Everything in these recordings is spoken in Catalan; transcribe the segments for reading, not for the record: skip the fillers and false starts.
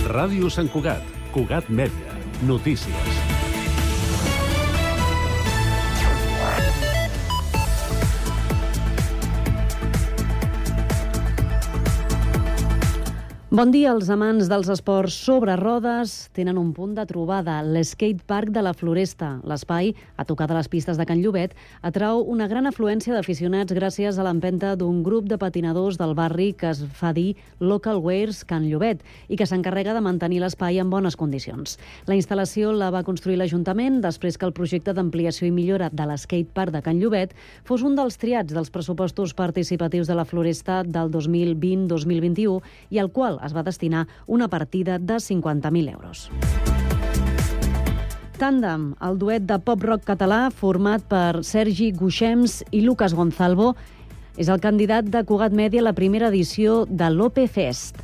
Ràdio Sant Cugat, Cugat Mèdia, notícies. Bon dia. Els amants dels esports sobre rodes tenen un punt de trobada, l'Skate Park de la Floresta. L'espai, a tocar de les pistes de Can Llobet, atrau una gran afluència d'aficionats gràcies a l'empenta d'un grup de patinadors del barri que es fa dir Local Wares Can Llobet i que s'encarrega de mantenir l'espai en bones condicions. La instal·lació la va construir l'Ajuntament després que el projecte d'ampliació i millora de l'Skate Park de Can Llobet fos un dels triats dels pressupostos participatius de la Floresta del 2020-2021 i al qual es va destinar una partida de 50.000 euros. Tàndem, el duet de pop-rock català format per Sergi Guixems i Lucas Gonzalvo, és el candidat de Cugat Mèdia a la primera edició de l'Ope Fest.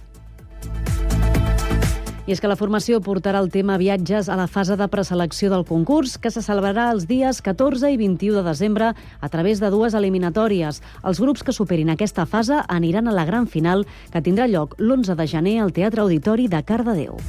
I és que la formació portarà el tema viatges a la fase de preselecció del concurs, que se celebrarà els dies 14 i 21 de desembre a través de 2 eliminatòries. Els grups que superin aquesta fase aniran a la gran final, que tindrà lloc l'11 de gener al Teatre Auditori de Cardedeu.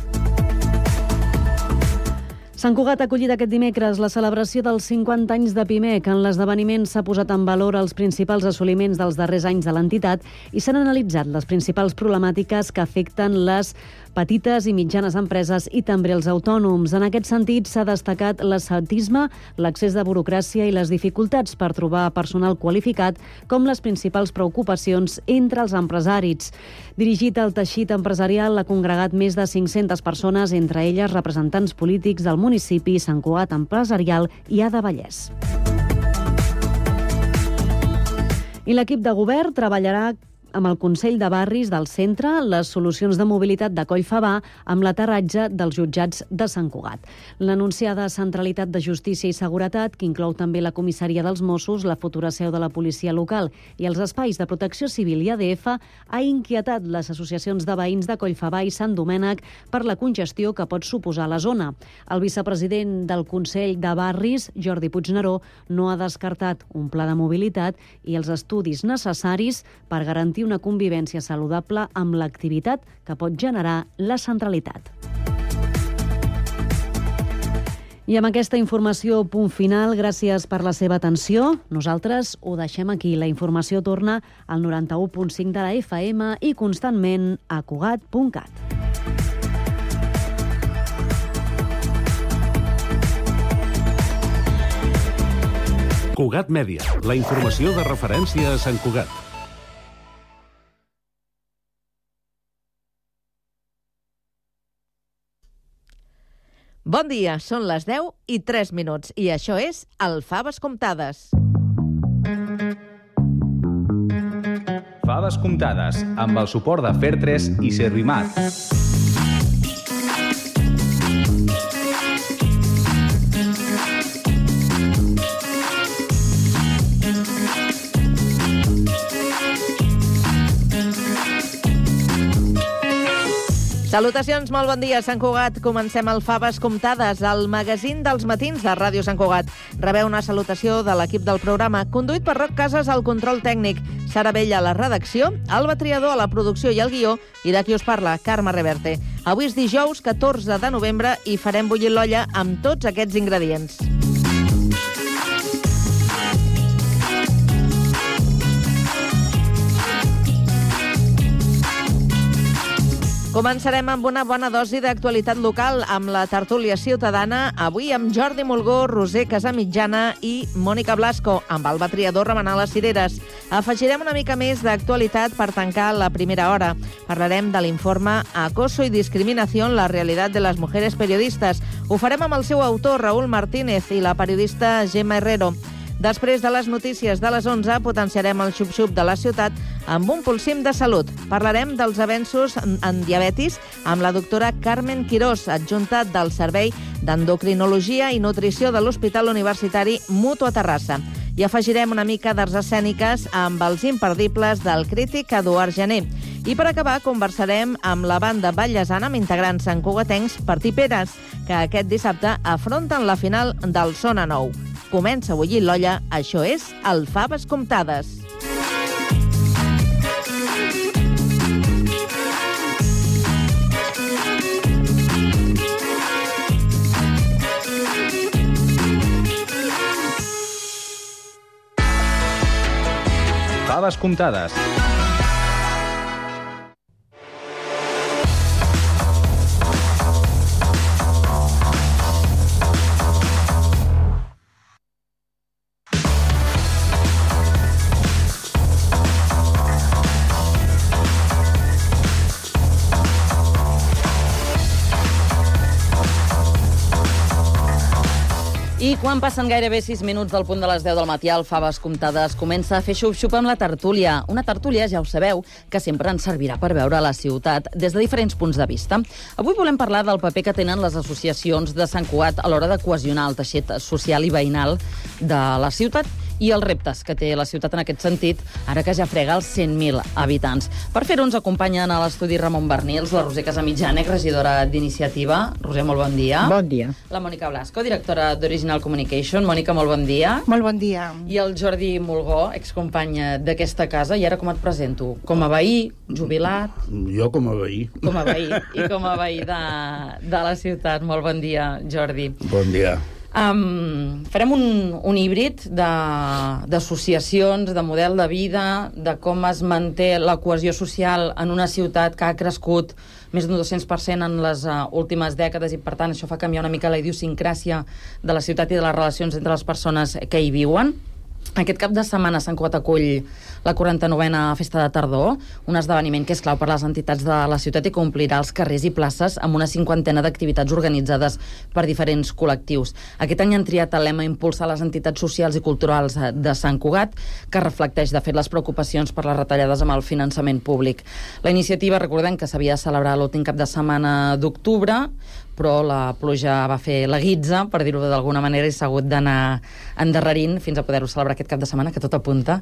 Sant Cugat ha acollit aquest dimecres la celebració dels 50 anys de Pimec. En l'esdeveniment s'ha posat en valor els principals assoliments dels darrers anys de l'entitat i s'han analitzat les principals problemàtiques que afecten les petites i mitjanes empreses i també els autònoms. En aquest sentit, s'ha destacat l'ascetisme, l'accés de burocràcia i les dificultats per trobar personal qualificat com les principals preocupacions entre els empresaris. Dirigit al teixit empresarial, ha congregat més de 500 persones, entre elles representants polítics del municipi, Sant Cugat Empresarial i Ada Vallès. I l'equip de govern treballarà amb el Consell de Barris del centre les solucions de mobilitat de Collfabà amb l'aterratge dels jutjats de Sant Cugat. L'anunciada centralitat de justícia i seguretat, que inclou també la comissaria dels Mossos, la futura seu de la policia local i els espais de protecció civil i ADF, ha inquietat les associacions de veïns de Collfabà i Sant Domènec per la congestió que pot suposar la zona. El vicepresident del Consell de Barris, Jordi Puigneró, no ha descartat un pla de mobilitat i els estudis necessaris per garantir una convivència saludable amb l'activitat que pot generar la centralitat. I amb aquesta informació, punt final. Gràcies per la seva atenció. Nosaltres ho deixem aquí. La informació torna al 91.5 de la FM i constantment a Cugat.cat. Cugat Mèdia, la informació de referència a Sant Cugat. Bon dia, són les 10:03 i això és el Faves Comptades. Faves Comptades, amb el suport de Fer3 i Servimat. Salutacions, molt bon dia, Sant Cugat. Comencem el Faves Comptades, el magazín dels matins de Ràdio Sant Cugat. Rebeu una salutació de l'equip del programa, conduït per Roc Casas al control tècnic, Sara Vella a la redacció, Alba Triador a la producció i el guió, i de qui us parla, Carme Reverte. Avui és dijous 14 de novembre i farem bullir l'olla amb tots aquests ingredients. Començarem amb una bona dosi d'actualitat local amb la tertúlia ciutadana, avui amb Jordi Mulgó, Roser Casamitjana i Mònica Blasco, amb Alba Triador remenant les cireres. Afegirem una mica més d'actualitat per tancar la primera hora. Parlarem de l'informe Acoso y discriminación, la realidad de las mujeres periodistas. Ho farem amb el seu autor, Raúl Martínez, i la periodista Gemma Herrero. Després de les notícies de les 11, potenciarem el xup-xup de la ciutat amb un pulsim de salut. Parlarem dels avenços en diabetis amb la doctora Carmen Quirós, adjunta del Servei d'Endocrinologia i Nutrició de l'Hospital Universitari Mutu a Terrassa. I afegirem una mica d'arts escèniques amb els imperdibles del crític Eduard Jané. I per acabar, conversarem amb la banda ballesana amb integrants santcugatencs Partiperes, que aquest dissabte afronten la final del Sona Nou. Comença a bullir l'olla, això és el Faves Comptades. faves comptades. I quan passen gairebé 6 minuts del punt de les 10 del matí, el Faves Comptades comença a fer xup-xup amb la tertúlia. Una tertúlia, ja ho sabeu, que sempre ens servirà per veure la ciutat des de diferents punts de vista. Avui volem parlar del paper que tenen les associacions de Sant Cugat a l'hora de cohesionar el teixit social i veïnal de la ciutat i els reptes que té la ciutat en aquest sentit, ara que ja frega els 100.000 habitants. Per fer-ho ens acompanyen a l'estudi Ramon Bernils, la Roser Casamitjànec, regidora d'Iniciativa. Roser, molt bon dia. Bon dia. La Mònica Blasco, directora d'Original Communication. Mònica, molt bon dia. Molt bon dia. I el Jordi Mulgó, excompany d'aquesta casa. I ara com et presento? Com a veí, jubilat? Jo com a veí. Com a veí. I com a veí de la ciutat. Molt bon dia, Jordi. Bon dia. Farem un híbrid d'associacions, de model de vida, de com es manté la cohesió social en una ciutat que ha crescut més d'un 200% en les últimes dècades i, per tant, això fa canviar una mica la idiosincràsia de la ciutat i de les relacions entre les persones que hi viuen. Aquest cap de setmana Sant Cugat acull la 49a Festa de Tardor, un esdeveniment que és clau per les entitats de la ciutat i que omplirà els carrers i places amb una 50ena d'activitats organitzades per diferents col·lectius. Aquest any han triat el lema Impulsar les entitats socials i culturals de Sant Cugat, que reflecteix, de fet, les preocupacions per les retallades amb el finançament públic. La iniciativa, recordem que s'havia de celebrar l'últim cap de setmana d'octubre, però la pluja va fer la guitza, per dir-ho d'alguna manera, i s'ha hagut d'anar endarrerint fins a poder-ho celebrar aquest cap de setmana, que tot apunta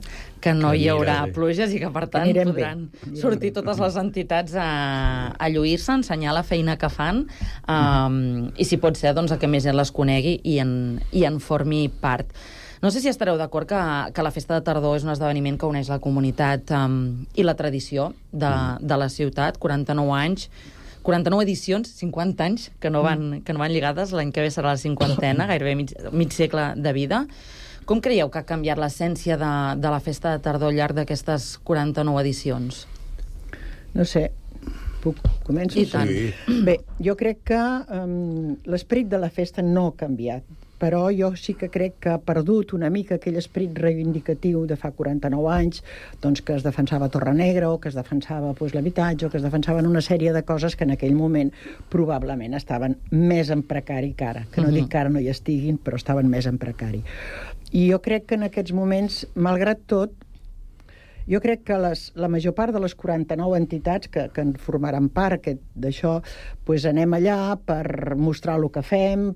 que no hi haurà pluges i que, per tant, podran sortir totes les entitats a lluir-se, a ensenyar la feina que fan, i si pot ser, doncs, que més gent les conegui i en formi part. No sé si estareu d'acord que la Festa de Tardor és un esdeveniment que uneix la comunitat i la tradició de la ciutat, 49 anys, 49 edicions, 50 anys, que no van lligades. L'any que ve serà la 50ena, gairebé mig segle de vida. Com creieu que ha canviat l'essència de la Festa de Tardor al llarg d'aquestes 49 edicions? No sé, començo? I tant. Sí. Bé, jo crec que l'esperit de la festa no ha canviat, però jo sí que crec que ha perdut una mica aquell esperit reivindicatiu de fa 49 anys, doncs que es defensava Torre Negra, o que es defensava l'habitatge, o que es defensaven una sèrie de coses que en aquell moment probablement estaven més en precari que ara. Que no dic que ara no hi estiguin, però estaven més en precari. I jo crec que en aquests moments, malgrat tot, jo crec que la major part de les 49 entitats que en formaran part d'això, doncs anem allà per mostrar el que fem,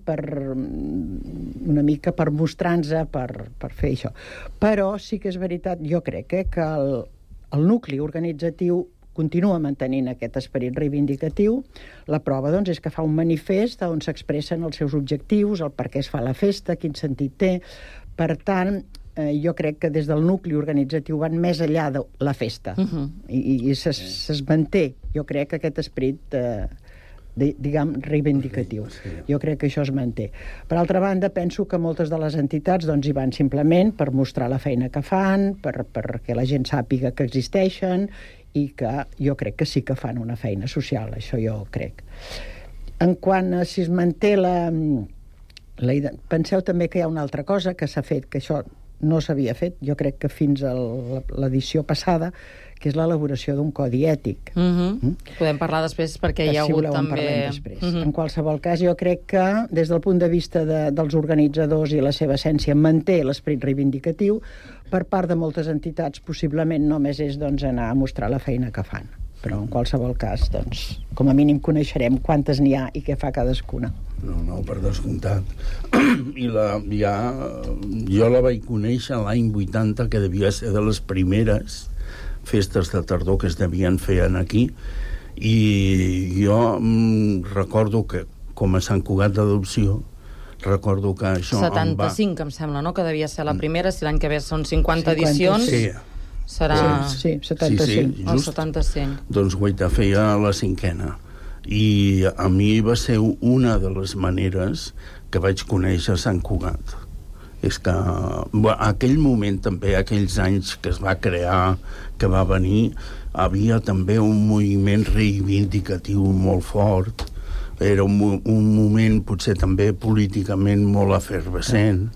una mica per mostrar-nos, per fer això. Però sí que és veritat, jo crec que el nucli organitzatiu continua mantenint aquest esperit reivindicatiu. La prova, doncs, és que fa un manifest on s'expressen els seus objectius, el per què es fa la festa, quin sentit té. Per tant, jo crec que des del nucli organitzatiu van més enllà de la festa. I es manté, jo crec, aquest esperit diguem, reivindicatiu. Jo crec que això es manté. Per altra banda, penso que moltes de les entitats doncs, hi van simplement per mostrar la feina que fan, perquè la gent sàpiga que existeixen, i que jo crec que sí que fan una feina social, això jo crec. En quant a si es manté penseu també que hi ha una altra cosa que s'ha fet, que això no s'havia fet, jo crec que fins a l'edició passada, que és l'elaboració d'un codi ètic. Podem parlar després perquè hi ha hagut també... En qualsevol cas, jo crec que des del punt de vista dels organitzadors i la seva essència manté l'esperit reivindicatiu, per part de moltes entitats possiblement només és anar a mostrar la feina que fan. Però en qualsevol cas, doncs, com a mínim coneixerem quantes n'hi ha i què fa cadascuna. No, per descomptat. Jo la vaig conèixer l'any 80, que devia ser de les primeres festes de tardor que es devien fer aquí, i jo recordo que, com a Sant Cugat d'Adopció, recordo que això... 75, em sembla, no?, que devia ser la primera, si l'any que ve són 50 edicions... Sí. Serà... Sí, 75. Sí, el 75. Doncs guaita, feia la 5a. I a mi va ser una de les maneres que vaig conèixer Sant Cugat. És que aquell moment també, aquells anys que es va crear, que va venir, havia també un moviment reivindicatiu molt fort. Era un moment potser també políticament molt efervescent,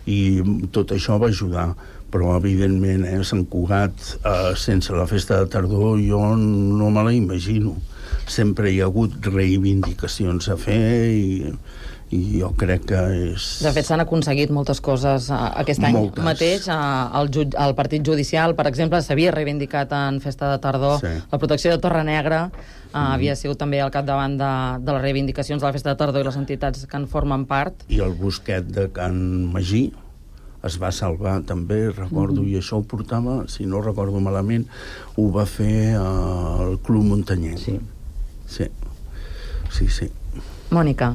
i tot això va ajudar. Però evidentment Sant Cugat sense la festa de tardor jo no me la imagino. Sempre hi ha hagut reivindicacions a fer i jo crec que és... De fet, s'han aconseguit moltes coses aquest any mateix. El Partit Judicial, per exemple, s'havia reivindicat en Festa de Tardor. La protecció de Torre Negra havia sigut també al capdavant de les reivindicacions de la Festa de Tardor i les entitats que en formen part. I el bosquet de Can Magí es va salvar també, recordo, i això ho portava, si no recordo malament, ho va fer el Club Muntanyenc. Sí. Mónica.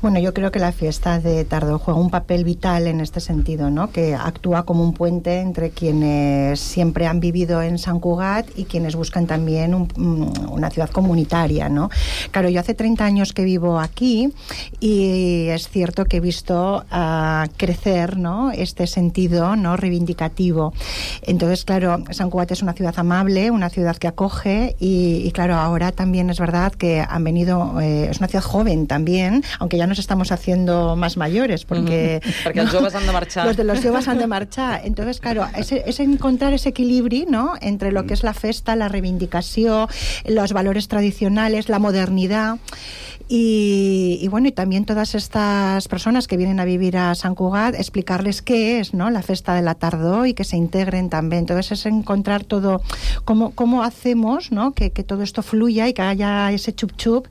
Bueno, yo creo que la fiesta de Tardor juega un papel vital en este sentido, ¿no? Que actúa como un puente entre quienes siempre han vivido en Sant Cugat y quienes buscan también una ciudad comunitaria, ¿no? Claro, yo hace 30 años que vivo aquí y es cierto que he visto crecer, ¿no? Este sentido, ¿no? Reivindicativo. Entonces, claro, Sant Cugat es una ciudad amable, una ciudad que acoge y claro, ahora también es verdad que han venido, es una ciudad joven también, aunque ya nos estamos haciendo más mayores, porque els joves han de marxar. Los joves han de marxar. Entonces, claro, es encontrar ese equilibrio, ¿no? Entre lo que es la festa, la reivindicación, los valores tradicionales, la modernidad. Y bueno, y también todas estas personas que vienen a vivir a Sant Cugat, explicarles qué es, ¿no? La festa de la tardor y que se integren también. Entonces es encontrar todo, cómo hacemos, ¿no? Que todo esto fluya y que haya ese chup-chup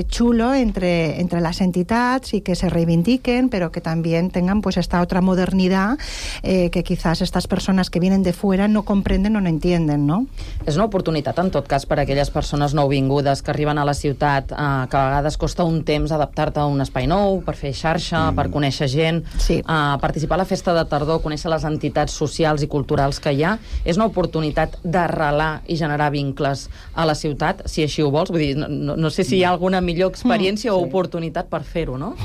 chulo entre las entidades y que se reivindiquen, pero que también tengan pues esta otra modernidad que quizás estas personas que vienen de fuera no comprenden o no entienden, ¿no? És una oportunitat, en tot cas, per a aquelles persones nouvingudes que arriben a la ciutat, que a vegades costa un temps adaptar-te a un espai nou, per fer xarxa, per conèixer gent, participar a la Festa de Tardor, conèixer les entitats socials i culturals que hi ha. És una oportunitat d'arrelar i generar vincles a la ciutat, si així ho vols. Vull dir, no sé si hi ha alguna millor experiència o oportunitat per fer-ho, no?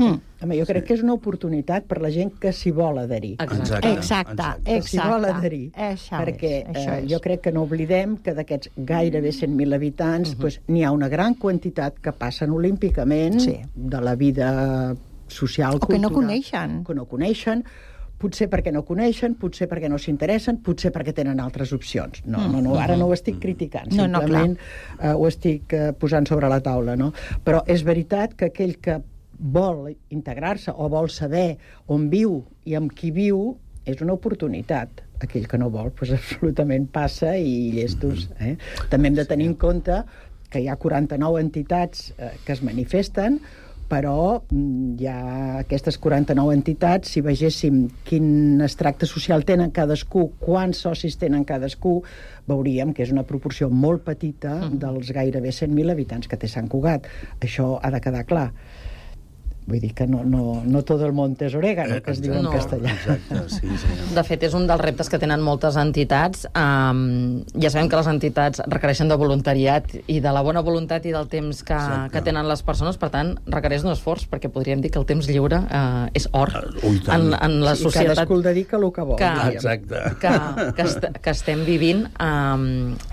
Home, jo crec que és una oportunitat per la gent que s'hi vol adherir. Exacte. Que s'hi vol adherir. Perquè jo crec que no oblidem que d'aquests gairebé 100.000 habitants n'hi ha una gran quantitat que passen olímpicament de la vida social, cultural. O que no coneixen. Que no coneixen, potser perquè no coneixen, potser perquè no s'interessen, potser perquè tenen altres opcions. No, ara no ho estic criticant, simplement ho estic posant sobre la taula, no? Però és veritat que aquell que vol integrar-se o vol saber on viu i amb qui viu és una oportunitat. Aquell que no vol, doncs absolutament passa i llestos. També hem de tenir en compte que hi ha 49 entitats que es manifesten, però hi ha aquestes 49 entitats, si vegéssim quin extracte social tenen cadascú, quants socis tenen cadascú, veuríem que és una proporció molt petita dels gairebé 100.000 habitants que té Sant Cugat. Això ha de quedar clar. Vull dir que no todo el monte es orégano, que es diu en castellà. Exacte, sí. De fet, és un dels reptes que tenen moltes entitats. Ja sabem que les entitats requereixen de voluntariat i de la bona voluntat i del temps que tenen les persones, per tant, requereix un esforç, perquè podríem dir que el temps lliure és or en la societat. I cadascú el dedica el que vol. Que estem vivint,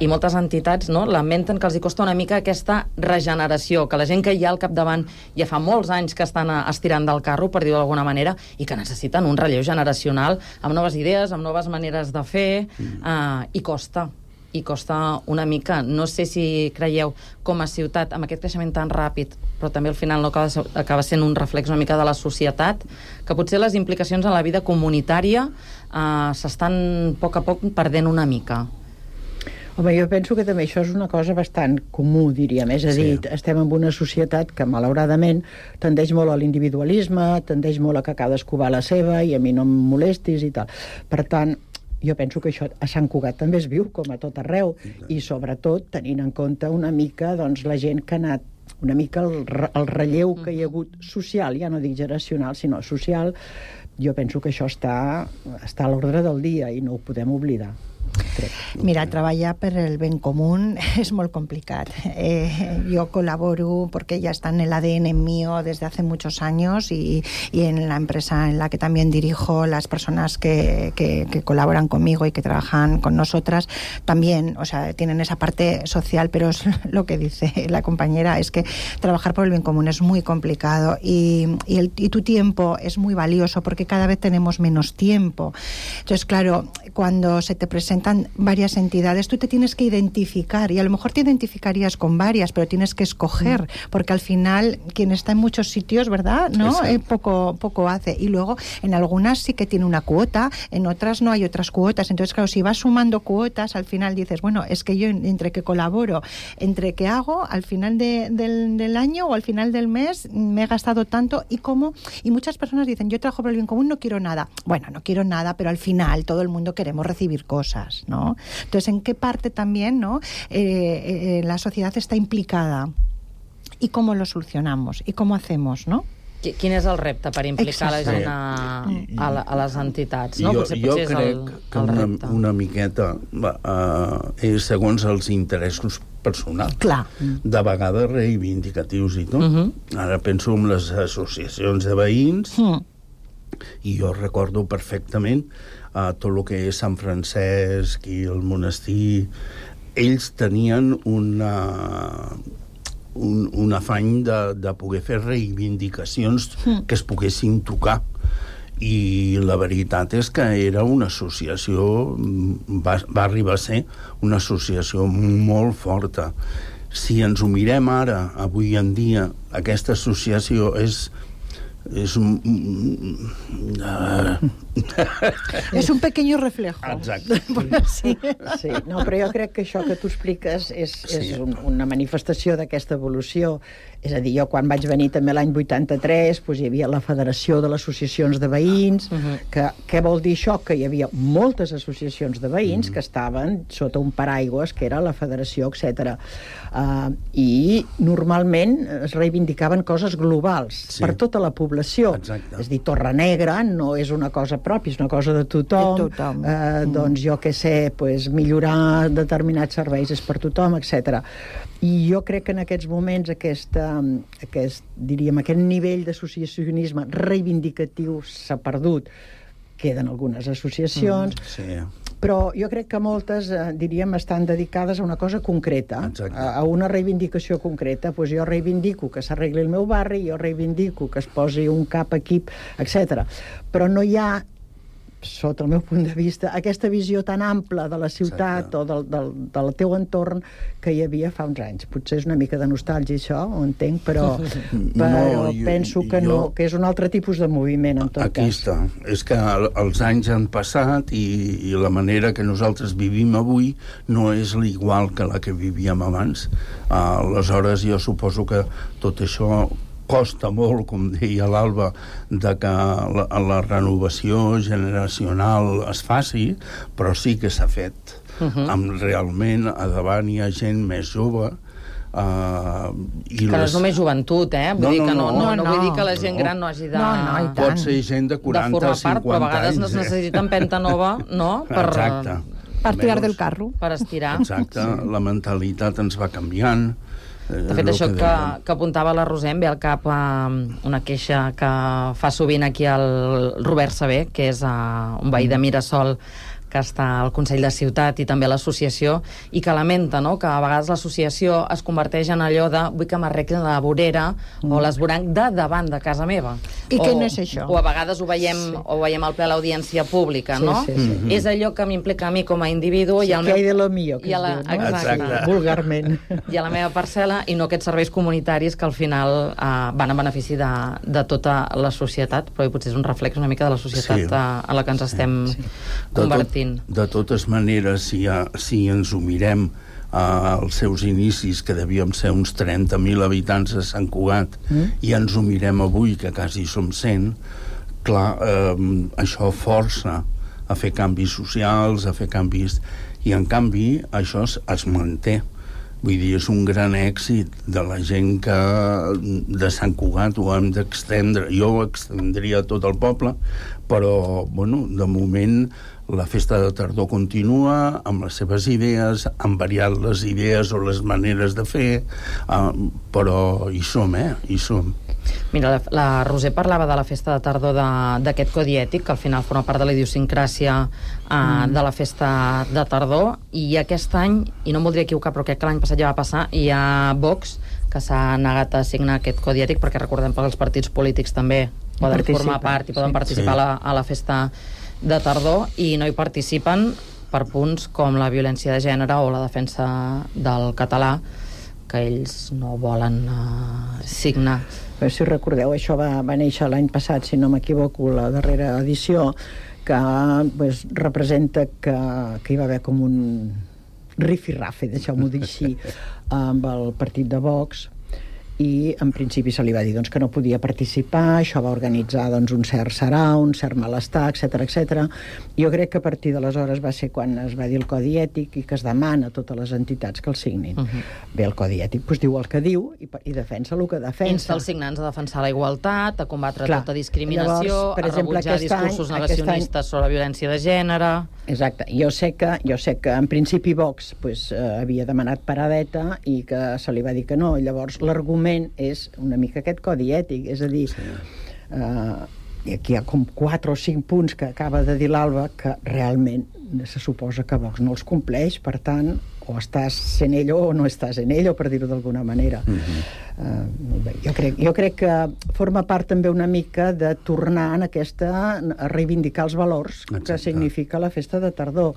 i moltes entitats lamenten que els hi costa una mica aquesta regeneració, que la gent que hi ha al capdavant ja fa molts anys que estan estirant del carro, per dir-ho d'alguna manera, i que necessiten un relleu generacional amb noves idees, amb noves maneres de fer, i costa una mica. No sé si creieu, com a ciutat, amb aquest creixement tan ràpid, però també al final no acaba sent un reflex una mica de la societat, que potser les implicacions en la vida comunitària s'estan a poc perdent una mica. Home, jo penso que també això és una cosa bastant comú, diríem. És a dir, estem en una societat que, malauradament, tendeix molt a l'individualisme, tendeix molt a que cadascú va a la seva i a mi no em molestis i tal. Per tant, jo penso que això a Sant Cugat també es viu, com a tot arreu, i sobretot tenint en compte una mica la gent que ha anat una mica el relleu que hi ha hagut social, ja no dic generacional, sinó social. Jo penso que això està a l'ordre del dia i no ho podem oblidar. Mira, treballar per el ben comú és molt complicat. Yo colaboro porque ya está en el ADN mío desde hace muchos años y en la empresa en la que también dirijo, las personas que colaboran conmigo y que trabajan con nosotras también, o sea, tienen esa parte social, pero es lo que dice la compañera, es que trabajar por el bien común es muy complicado y tu tiempo es muy valioso porque cada vez tenemos menos tiempo. Entonces, claro, cuando se te presentan varias entidades, tú te tienes que identificar y a lo mejor te identificarías con varias, pero tienes que escoger, porque al final quien está en muchos sitios, ¿verdad? ¿No? Poco hace. Y luego en algunas sí que tiene una cuota, en otras no hay otras cuotas. Entonces, claro, si vas sumando cuotas, al final dices, bueno, es que yo entre que colaboro, entre que hago, al final del año o al final del mes me he gastado tanto y muchas personas dicen, yo trabajo por el bien común, no quiero nada. Bueno, no quiero nada, pero al final todo el mundo queremos recibir cosas, ¿no? Entonces, ¿en qué parte también, ¿no? La sociedad está implicada? ¿Y cómo lo solucionamos? ¿Y cómo hacemos, no? Quin és el repte per implicar la gent a les entitats? No? Potser crec que una miqueta és segons els interessos personals. Clar. De vegades reivindicatius i tot. Ara penso en les associacions de veïns i jo recordo perfectament tot el que és Sant Francesc i el monestir. Ells tenien un afany de poder fer reivindicacions que es poguessin tocar. I la veritat és que era una associació, va arribar a ser una associació molt forta. Si ens ho mirem ara, avui en dia, aquesta associació és un un pequeño reflejo. Exacte. Sí. No, però jo crec que això que tu expliques és una manifestació d'aquesta evolució. És a dir, jo quan vaig venir també l'any 83 doncs hi havia la Federació de les Associacions de Veïns, què vol dir això? Que hi havia moltes associacions de veïns que estaven sota un paraigües que era la Federació, etc. I normalment es reivindicaven coses globals per tota la població. Exacte. És a dir, Torrenegra no és una cosa pròpia, és una cosa de tothom. Doncs jo què sé, millorar determinats serveis és per tothom, etc. I jo crec que en aquests moments aquest nivell d'associacionisme reivindicatiu s'ha perdut. Queden algunes associacions, però jo crec que moltes, estan dedicades a una cosa concreta, a una reivindicació concreta. Doncs jo reivindico que s'arregli el meu barri, jo reivindico que es posi un cap equip, etc. Però no hi ha, sota el meu punt de vista, aquesta visió tan ampla de la ciutat o del teu entorn que hi havia fa uns anys. Potser és una mica de nostàlgia això, ho entenc, però penso que no, que és un altre tipus de moviment en tot cas. Aquí està. És que els anys han passat i la manera que nosaltres vivim avui no és l'igual que la que vivíem abans. Aleshores jo suposo que tot això costa molt, com deia l'Alba, de que la renovació generacional es faci, però sí que s'ha fet. Realment, a davant hi ha gent més jove. Que no és només joventut, Vull dir que no vull dir que la gent gran no hagi de... Pot ser gent de 40, 50 anys. Però a vegades es necessita empenta nova, no? Per tirar del carro. Per estirar. Exacte, la mentalitat ens va canviant. De fet, això que apuntava la Roser em ve al cap una queixa que fa sovint aquí el Robert Saber, que és un veí de Mirasol, que està al Consell de Ciutat i també a l'associació, i que lamenta, no?, que a vegades l'associació es converteix en allò de vull que m'arreglin la vorera o l'esvoranc de davant de casa meva. I que no és això. O a vegades ho veiem al ple a l'audiència pública, no? És allò que m'implica a mi com a individu que hay de lo mío, que es diu, no? Exacte. Vulgarment. I a la meva parcel·la, i no aquests serveis comunitaris que al final van en benefici de tota la societat, però potser és un reflex una mica de la societat a la que ens estem convertint. De totes maneres, si ens ho mirem als seus inicis, que devíem ser uns 30.000 habitants a Sant Cugat, i ens ho mirem avui, que quasi som 100, clar, això força a fer canvis socials, a fer canvis... I, en canvi, això es manté. Vull dir, és un gran èxit de la gent que de Sant Cugat ho hem d'extendre. Jo ho extendria a tot el poble, però, bueno, de moment la festa de tardor continua amb les seves idees, han variat les idees o les maneres de fer, però hi som, hi som. Mira, la Roser parlava de la festa de tardor d'aquest codi ètic, que al final forma part de la idiosincràsia de la festa de tardor, i aquest any, i no em voldria equivocar, però crec que l'any passat ja va passar, hi ha Vox que s'ha negat a signar aquest codi ètic, perquè recordem que els partits polítics també poden formar part i poden participar a la festa de tardor, i no hi participen per punts com la violència de gènere o la defensa del català, que ells no volen signar. Però si recordeu, això va néixer l'any passat, si no m'equivoco, la darrera edició, que representa que hi va haver com un rifirrafe, deixeu-m'ho dir així, amb el partit de Vox, i en principi se li va dir que no podia participar. Això va organitzar un cert sarau, un cert malestar, etc. Jo crec que a partir d'aleshores va ser quan es va dir el codi ètic i que es demana a totes les entitats que el signin. Bé, el codi ètic diu el que diu i defensa el que defensa. Insta els signants a defensar la igualtat, a combatre tota discriminació, a rebutjar discursos negacionistes sobre la violència de gènere... Exacte. Jo sé que en principi Vox havia demanat paradeta i que se li va dir que no. Llavors l'argument és una mica aquest codi ètic, és a dir, aquí hi ha com 4 o 5 punts que acaba de dir l'Alba que realment se suposa que Vox no els compleix, per tant, o estàs sent ell o no estàs en ell, o per dir-ho d'alguna manera. Jo crec que forma part també una mica de tornar a reivindicar els valors que significa la festa de tardor.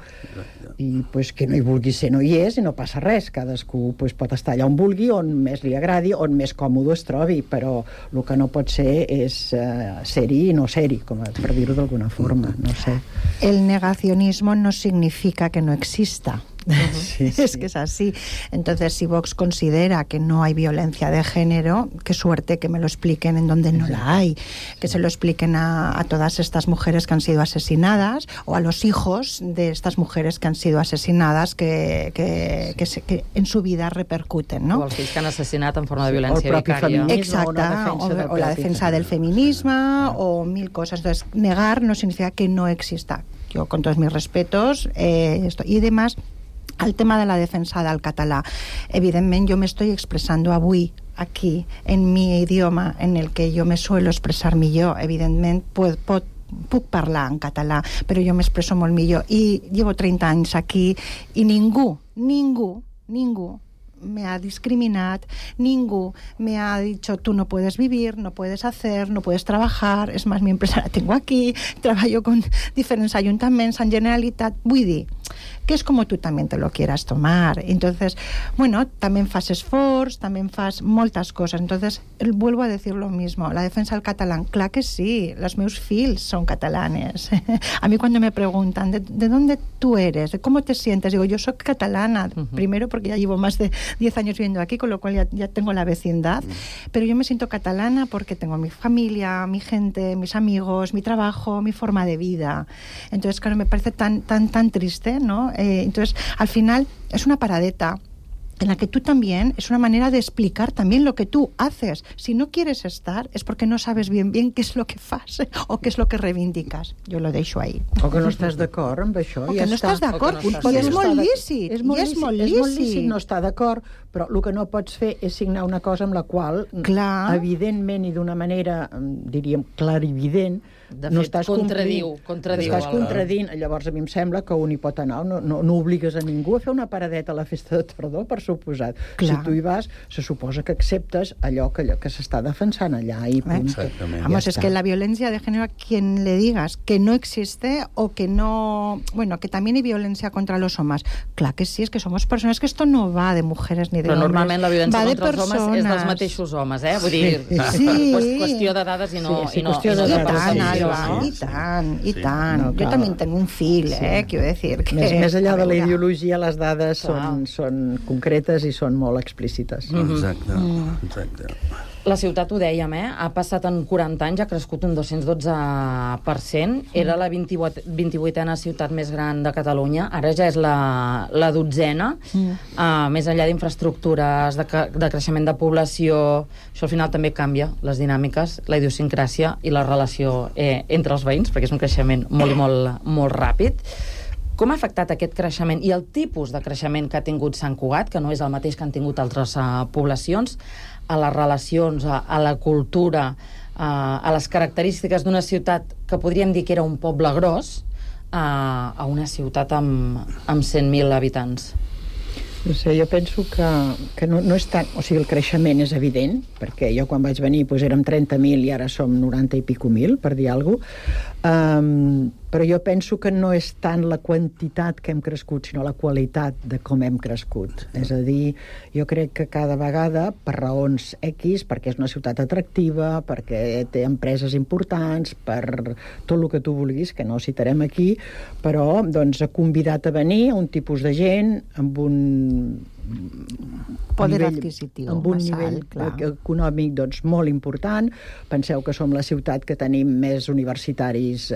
I que no hi vulgui ser no hi és i no passa res. Cadascú pot estar allà on vulgui, on més li agradi, on més còmode es trobi, però el que no pot ser és ser-hi i no ser-hi, per dir-ho d'alguna forma, no sé. El negacionismo no significa que no exista. Sí. Es que es así. Entonces, si Vox considera que no hay violencia de género, qué suerte que me lo expliquen en donde no la hay, que se lo expliquen a todas estas mujeres que han sido asesinadas, o a los hijos de estas mujeres que han sido asesinadas, que en su vida repercuten, ¿no? O els fills que han assassinat en forma de violència vicària. Exacte, o la defensa del feminismo, o mil cosas. Entonces, negar no significa que no exista. Yo, con todos mis respetos, y además, al tema de la defensa del català, evidentment jo m'estoy expressando avui aquí en mi idioma en el que jo me suelo expressar millor. Evidentment puc parlar en català, però jo m'expresso molt millor i llevo 30 anys aquí i ningú me ha discriminat, ningú me ha dicho tú no puedes vivir, no puedes hacer, no puedes trabajar. Es más, mi empresa la tengo aquí, trabajo con diferentes ayuntamientos, en Generalitat. Vull dir que es como tú también te lo quieras tomar. Entonces, bueno, también fas esforç, también fas moltes cosas. Entonces, vuelvo a decir lo mismo. La defensa del catalán, clar que sí, los meus fills son catalanes. A mí cuando me preguntan ¿de dónde tú eres? ¿De cómo te sientes? Digo, yo soy catalana, primero porque ya llevo más de 10 años viviendo aquí, con lo cual ya tengo la vecindad, pero yo me siento catalana porque tengo mi familia, mi gente, mis amigos, mi trabajo, mi forma de vida. Entonces, claro, me parece tan triste, ¿no? Entonces, al final, es una paradeta en la que tú también, es una manera de explicar también lo que tú haces. Si no quieres estar, es porque no sabes bien qué es lo que fas o qué es lo que reivindicas. Jo lo deixo ahí. O que no estàs d'acord amb això. O que no estàs d'acord. I és molt lícit. És molt lícit no estar d'acord, però el que no pots fer és signar una cosa amb la qual, evidentment i d'una manera, diríem, clarivident, no estàs contradiu. Estàs contradint. Llavors, a mi em sembla que un hi pot anar. No obligues a ningú a fer una paradeta a la festa de tardor, per suposat. Si tu hi vas, se suposa que acceptes allò que s'està defensant allà. I punt. Vamos, es que la violencia de género, a quien le digas que no existe o que no... Bueno, que también hay violencia contra los hombres. Clar que sí, es que somos personas, que esto no va de mujeres ni de hombres. Però normalment la violència contra els homes és dels mateixos homes, Vull dir, qüestió de dades i no... qüestió de dades. I tant. Jo també tengo un fill, quiero decir. Més allà de la ideologia, les dades són concretes concretes i són molt explícites. Exacte. La ciutat, ho dèiem, ha passat en 40 anys, ha crescut un 212%, era la 28a ciutat més gran de Catalunya, ara ja és la 12a, més enllà d'infraestructures, de creixement de població, això al final també canvia les dinàmiques, la idiosincràsia i la relació entre els veïns, perquè és un creixement molt i molt ràpid. Com ha afectat aquest creixement i el tipus de creixement que ha tingut Sant Cugat, que no és el mateix que han tingut altres poblacions, a les relacions, a la cultura, a les característiques d'una ciutat que podríem dir que era un poble gros, a una ciutat amb 100.000 habitants? No sé, jo penso que no és tant... O sigui, el creixement és evident, perquè jo quan vaig venir érem 30.000 i ara som 90 i pico mil, per dir alguna cosa. Però jo penso que no és tant la quantitat que hem crescut, sinó la qualitat de com hem crescut. És a dir, jo crec que cada vegada, per raons X, perquè és una ciutat atractiva, perquè té empreses importants, per tot el que tu vulguis, que no citarem aquí, però doncs, ha convidat a venir un tipus de gent amb un poder adquisitiu, amb un nivell econòmic doncs, molt important. Penseu que som la ciutat que tenim més universitaris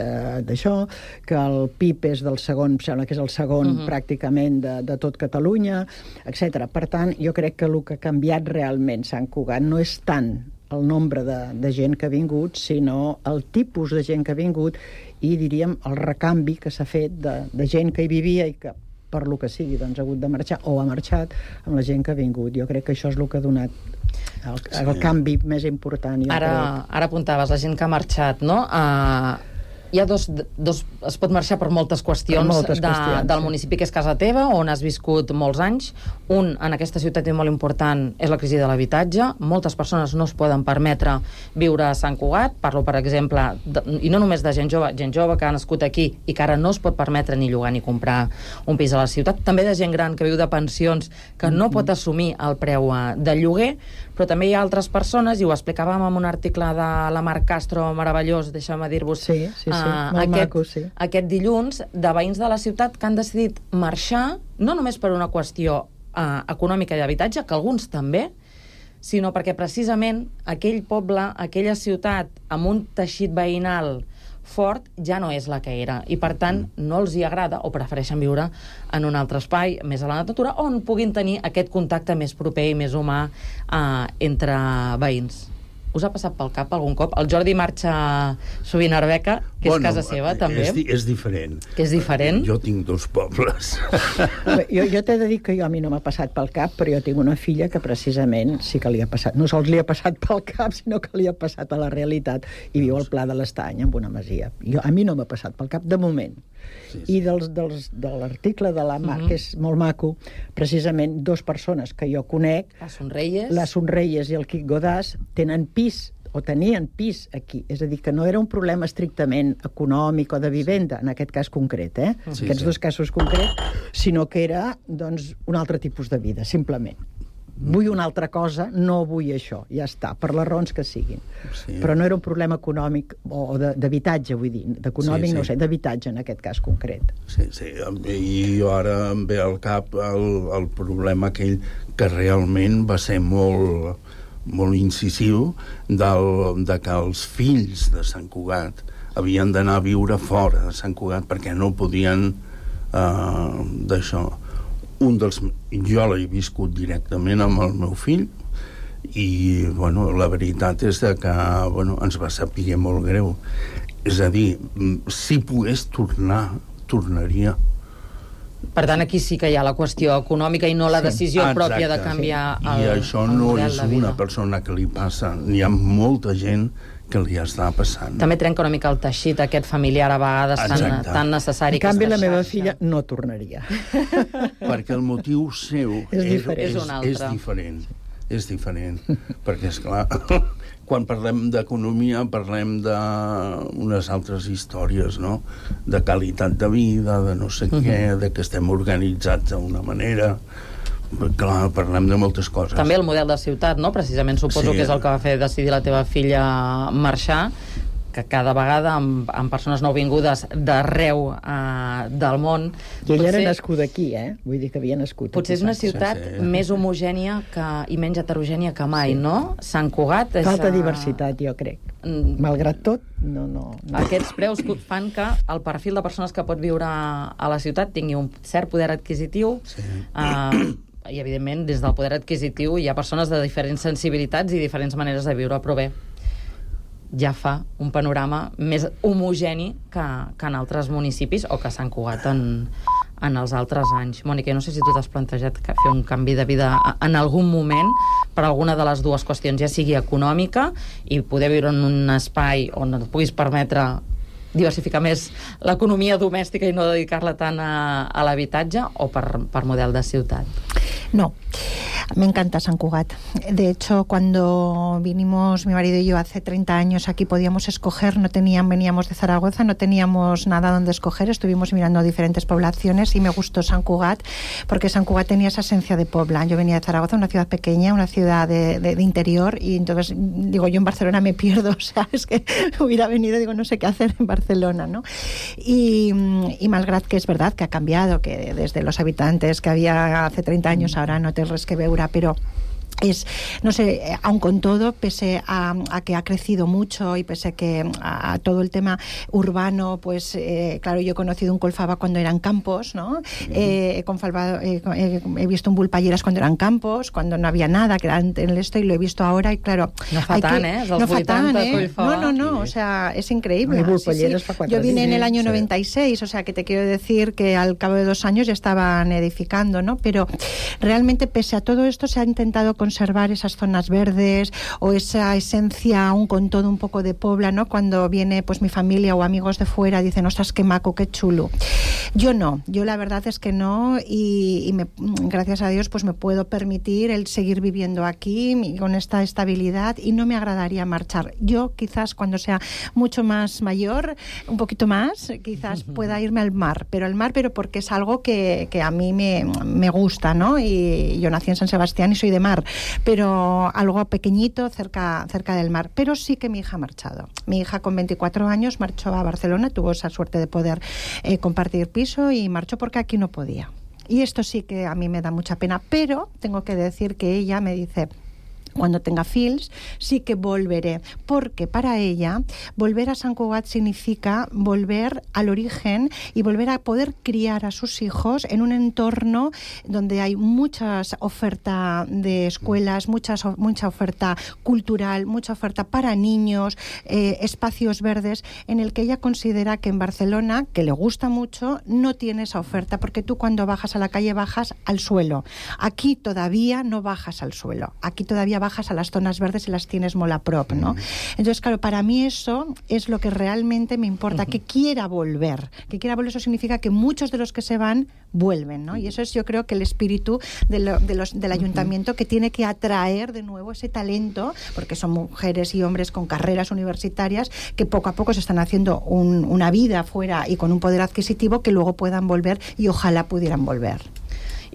d'això, que el PIB és del segon, sembla que és el segon pràcticament de tot Catalunya, etc. Per tant, jo crec que el que ha canviat realment Sant Cugat no és tant el nombre de gent que ha vingut, sinó el tipus de gent que ha vingut i, diríem, el recanvi que s'ha fet de gent que hi vivia i que per lo que sigui, doncs ha hagut de marxar o ha marxat amb la gent que ha vingut. Jo crec que això és el que ha donat el canvi més important. Ara apuntaves la gent que ha marxat, no? Hi ha es pot marxar per moltes qüestions del municipi que és casa teva, on has viscut molts anys. En aquesta ciutat molt important és la crisi de l'habitatge. Moltes persones no es poden permetre viure a Sant Cugat. Parlo, per exemple, i no només de gent jove que ha nascut aquí i que ara no es pot permetre ni llogar ni comprar un pis a la ciutat. També de gent gran que viu de pensions que no pot assumir el preu del lloguer, però també hi ha altres persones, i ho explicàvem en un article de la Mar Castro meravellós, deixeu-me dir-vos, aquest dilluns, de veïns de la ciutat que han decidit marxar, no només per una qüestió econòmica i d'habitatge, que alguns també, sinó perquè precisament aquell poble, aquella ciutat amb un teixit veïnal fort ja no és la que era, i per tant no els hi agrada o prefereixen viure en un altre espai més a la natura on puguin tenir aquest contacte més proper i més humà entre veïns. Us ha passat pel cap algun cop? El Jordi marxa sovint a Arbeca, que és casa seva, també. És diferent. Que és diferent? Jo tinc 2 pobles. Jo t'he de dir que a mi no m'ha passat pel cap, però jo tinc una filla que precisament sí que li ha passat. No sols li ha passat pel cap, sinó que li ha passat a la realitat i viu al Pla de l'Estany, en una masia. A mi no m'ha passat pel cap, de moment. I de l'article de la Mar, que és molt maco, precisament 2 persones que jo conec, la Sonreyes i el Quic Godàs, tenen pis o tenien pis aquí. És a dir, que no era un problema estrictament econòmic o de vivenda, en aquest cas concret, aquests 2 casos concrets, sinó que era doncs, un altre tipus de vida, simplement. Vull una altra cosa, no vull això, ja està, per les raons que siguin. Però no era un problema econòmic o d'habitatge, vull dir, d'econòmic, no sé, d'habitatge en aquest cas concret. Sí, i jo ara em ve al cap el problema aquell que realment va ser molt incisiu de que els fills de Sant Cugat havien d'anar a viure fora de Sant Cugat perquè no podien d'això. Jo l'he viscut directament amb el meu fill i, la veritat és que, ens va saber molt greu. És a dir, si pogués tornar, tornaria. Per tant, aquí sí que hi ha la qüestió econòmica i no la decisió pròpia de canviar el model de vida. I això no és una persona que li passa. Hi ha molta gent que li està passant. També trenca una mica el teixit aquest familiar a vegades tan necessari. En canvi, la meva filla no tornaria. Perquè el motiu seu és diferent. És diferent. Perquè, esclar, quan parlem d'economia parlem d'unes altres històries, no? De qualitat de vida, de no sé què, de que estem organitzats d'una manera. Clar, parlem de moltes coses. També el model de ciutat, no? Precisament suposo que és el que va fer decidir la teva filla marxar, que cada vegada amb persones nouvingudes d'arreu del món... I ella era nascuda aquí, Vull dir que havia nascut aquí. Potser és una ciutat més homogènia i menys heterogènia que mai, no? Sant Cugat... Falta diversitat, jo crec. Malgrat tot, no. Aquests preus fan que el perfil de persones que pot viure a la ciutat tingui un cert poder adquisitiu, i evidentment des del poder adquisitiu hi ha persones de diferents sensibilitats i diferents maneres de viure, però bé, ja fa un panorama més homogeni que en altres municipis o que Sant Cugat en els altres anys. Mònica, no sé si tu t'has plantejat fer un canvi de vida en algun moment per alguna de les dues qüestions, ja sigui econòmica i poder viure en un espai on et puguis permetre diversificar més l'economia domèstica i no dedicar-la tant a l'habitatge, o per model de ciutat? No, me encanta San Cugat. De hecho, cuando vinimos mi marido y yo hace 30 años aquí, podíamos escoger, veníamos de Zaragoza, no teníamos nada donde escoger, estuvimos mirando diferentes poblaciones y me gustó San Cugat porque San Cugat tenía esa esencia de Pobla. Yo venía de Zaragoza, una ciudad pequeña, una ciudad de interior, y entonces digo, yo en Barcelona me pierdo, o sea, es que hubiera venido, digo, no sé qué hacer en Barcelona, ¿no? Y malgrat que es verdad que ha cambiado, que desde los habitantes que había hace 30 años ahora no té res que veure, pero es, no sé, aun con todo, pese a que ha crecido mucho y pese a todo el tema urbano, pues claro, yo he conocido un Colfaba cuando eran campos, ¿no? He visto un Vulpalleras cuando eran campos, cuando no había nada, que era en el esto, y lo he visto ahora, y claro... No fa tant, No fa tant, No, o sea, es increíble. Sí. Yo vine en el año 96, o sea, que te quiero decir que al cabo de 2 años ya estaban edificando, ¿no? Pero realmente, pese a todo esto, se ha intentado conservar esas zonas verdes o esa esencia aún con todo un poco de Pobla, ¿no? Cuando viene pues mi familia o amigos de fuera, dicen, ostras, qué maco, qué chulo. Yo no, yo la verdad es que no, y gracias a Dios pues me puedo permitir el seguir viviendo aquí con esta estabilidad, y no me agradaría marchar. Yo quizás cuando sea mucho más mayor, un poquito más, quizás pueda irme al mar, pero porque es algo que a mí me gusta, ¿no? Y yo nací en San Sebastián y soy de mar, pero algo pequeñito cerca del mar. Pero sí que mi hija ha marchado. Mi hija con 24 años marchó a Barcelona, tuvo esa suerte de poder compartir piso, y marchó porque aquí no podía. Y esto sí que a mí me da mucha pena, pero tengo que decir que ella me dice, cuando tenga fills, sí que volveré, porque para ella volver a Sant Cugat significa volver al origen y volver a poder criar a sus hijos en un entorno donde hay mucha oferta de escuelas, mucha oferta cultural, mucha oferta para niños, espacios verdes, en el que ella considera que en Barcelona, que le gusta mucho, no tiene esa oferta, porque tú cuando bajas a la calle bajas al suelo. Aquí todavía no bajas al suelo, aquí todavía bajas a las zonas verdes y las tienes molt a prop, ¿no? Entonces, claro, para mí eso es lo que realmente me importa, que quiera volver. Que quiera volver, eso significa que muchos de los que se van, vuelven, ¿no? Y eso es, yo creo, que el espíritu del ayuntamiento, que tiene que atraer de nuevo ese talento, porque son mujeres y hombres con carreras universitarias que poco a poco se están haciendo una vida fuera y con un poder adquisitivo, que luego puedan volver, y ojalá pudieran volver.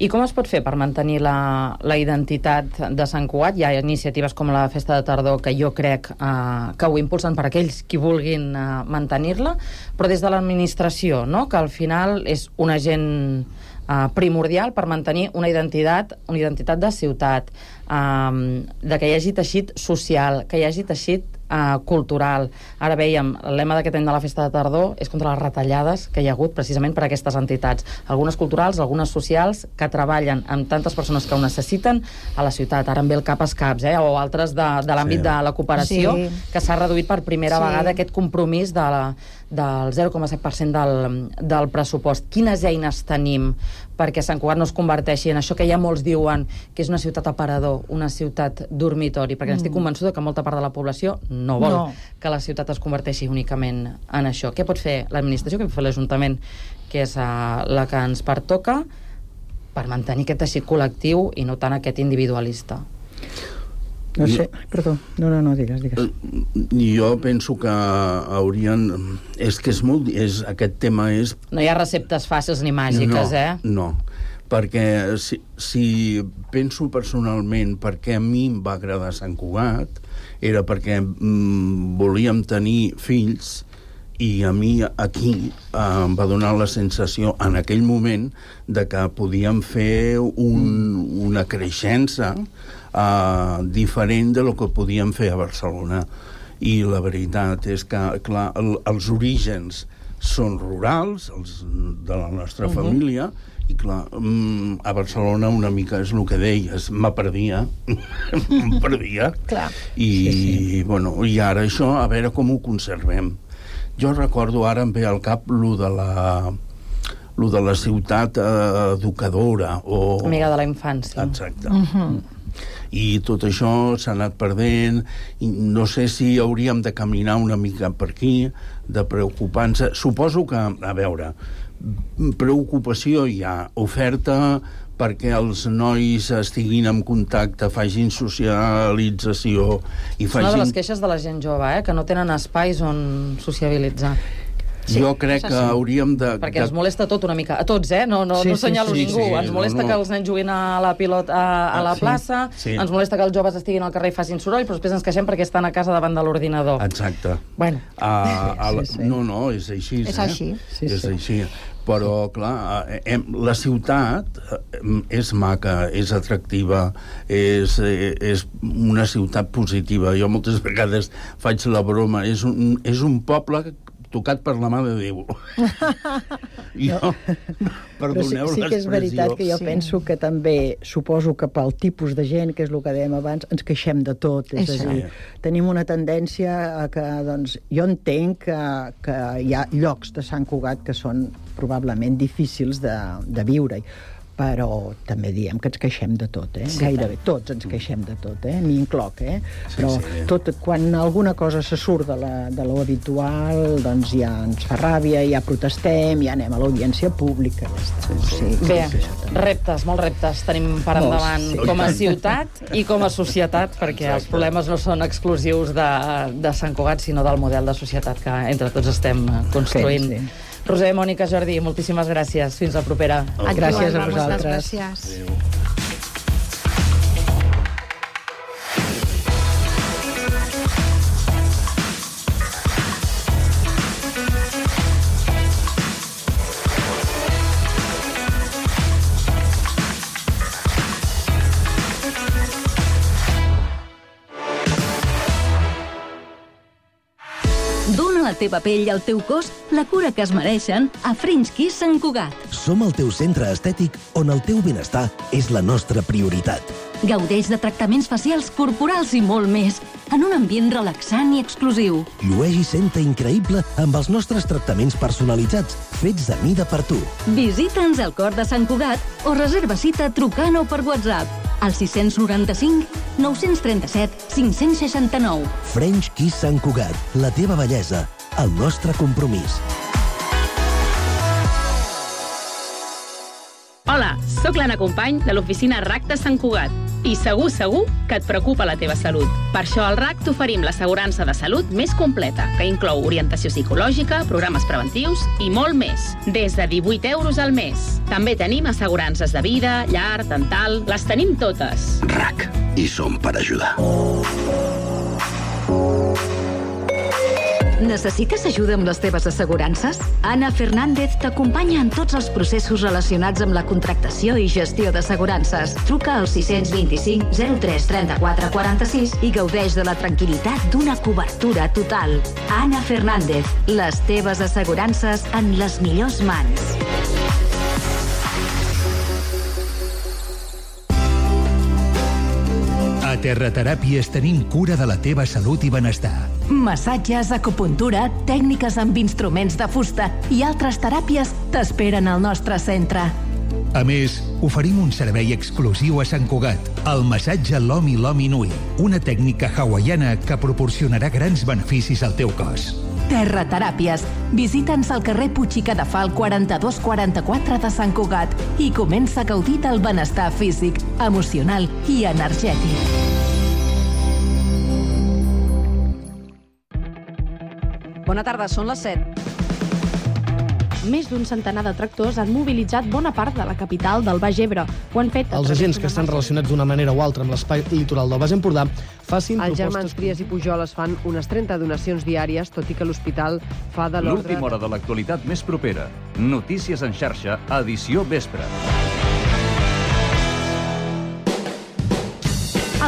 I com es pot fer per mantenir la identitat de Sant Cugat? Hi ha iniciatives com la Festa de Tardor que jo crec que ho impulsen per aquells qui vulguin mantenir-la, però des de l'administració, no? Que al final és un agent primordial per mantenir una identitat de ciutat, de que hi hagi teixit social, que hi hagi teixit cultural. Ara veiem, el lema d'aquest any de la Festa de Tardor és contra les retallades que hi ha hagut precisament per aquestes entitats, algunes culturals, algunes socials, que treballen amb tantes persones que ho necessiten a la ciutat. Ara em ve el cap als caps, o altres de l'àmbit de la cooperació, que s'ha reduït per primera vegada aquest compromís del 0,7% del pressupost. Quines eines tenim perquè Sant Cugat no es converteixi en això que ja molts diuen que és una ciutat aparador, una ciutat dormitori? Perquè estic convençuda que molta part de la població no vol que la ciutat es converteixi únicament en això. Què pot fer l'administració, què pot fer l'Ajuntament, que és la que ens pertoca, per mantenir aquest teixit col·lectiu i no tant aquest individualista? No sé, perdó. No, digues. Jo penso que haurien... És que és molt... Aquest tema és... No hi ha receptes fàcils ni màgiques, No, perquè si penso personalment perquè a mi em va agradar Sant Cugat, era perquè volíem tenir fills, i a mi aquí em va donar la sensació en aquell moment de que podíem fer una creixença diferent de lo que podíem fer a Barcelona. I la veritat és que, clar, els orígens són rurals, els de la nostra família, i clar, a Barcelona una mica és el que deies, me perdia. Clar. I, bueno, i ara això, a veure com ho conservem. Jo recordo, ara em ve al cap lo de la ciutat educadora. Amiga de la infància. Exacte. I tot això s'ha anat perdent, i no sé si hauríem de caminar una mica per aquí, de preocupar-nos. Suposo que, a veure, preocupació hi ha, oferta perquè els nois estiguin en contacte, facin socialització i facin... És una de les queixes de la gent jove, que no tenen espais on sociabilitzar. Jo crec que hauríem de... Perquè ens molesta tot una mica, a tots, no senyalo ningú. Ens molesta que els nens juguin a la pilota a la plaça, ens molesta que els joves estiguin al carrer i facin soroll, però després ens queixem perquè estan a casa davant de l'ordinador. Exacte. Bueno. No, és així. És així. És així. Però, clar, la ciutat és maca, és atractiva, és una ciutat positiva. Jo moltes vegades faig la broma. És un poble tocat per la mà de Déu. Perdoneu l'expressió. Sí que és veritat que jo penso que també, suposo que pel tipus de gent, que és el que dèiem abans, ens queixem de tot. És a dir, tenim una tendència a que, doncs, jo entenc que hi ha llocs de Sant Cugat que són probablement difícils de viure-hi, però també diem que ens queixem de tot, gairebé tots ens queixem de tot, m'hi incloc, però tot, quan alguna cosa se surt de lo habitual, doncs ja ens fa ràbia, ja protestem, ja anem a l'audiència pública. Bé, reptes, molts reptes tenim per endavant com a ciutat i com a societat, perquè els problemes no són exclusius de Sant Cugat, sinó del model de societat que entre tots estem construint. Roser, Mònica, Jordi, moltíssimes gràcies. Fins la propera. Gràcies a vosaltres. Gràcies. Dóna a la teva pell i al teu cos la cura que es mereixen a French Kiss Sant Cugat. Som el teu centre estètic on el teu benestar és la nostra prioritat. Gaudeix de tractaments facials, corporals i molt més, en un ambient relaxant i exclusiu. Llueix i senta increïble amb els nostres tractaments personalitzats, fets a mida per tu. Visita'ns al cor de Sant Cugat o reserva cita trucant o per WhatsApp al 695 937 569. French Kiss Sant Cugat, la teva bellesa, el nostre compromís. Hola, sóc l'Anna Company de l'oficina RAC de Sant Cugat i segur que et preocupa la teva salut. Per això al RAC t'oferim l'assegurança de salut més completa, que inclou orientació psicològica, programes preventius i molt més, des de 18 euros al mes. També tenim assegurances de vida, llar, dental, les tenim totes. RAC, i som per ajudar. Necessites ajuda amb les teves assegurances? Ana Fernández t'acompanya en tots els processos relacionats amb la contractació i gestió d'assegurances. Truca al 625 03 34 46 i gaudeix de la tranquil·litat d'una cobertura total. Ana Fernández, les teves assegurances en les millors mans. A Terrateràpies tenim cura de la teva salut i benestar. Massatges, acupuntura, tècniques amb instruments de fusta i altres teràpies t'esperen al nostre centre. A més, oferim un servei exclusiu a Sant Cugat, el massatge Lomi Lomi Nui, una tècnica hawaiana que proporcionarà grans beneficis al teu cos. Terrateràpies. Visita'ns al carrer Puig i Cadafal 4244 de Sant Cugat i comença a gaudir del benestar físic, emocional i energètic. Bona tarda, són les 7. Més d'un centenar de tractors han mobilitzat bona part de la capital del Baix Ebre. Ho han fet els agents que estan relacionats d'una manera o altra amb l'espai litoral del Baix Empordà facin Els propostes... germans Trias i Pujoles fan unes 30 donacions diàries, tot i que l'hospital fa de l'ordre... L'última hora de l'actualitat més propera. Notícies en xarxa, edició vespre.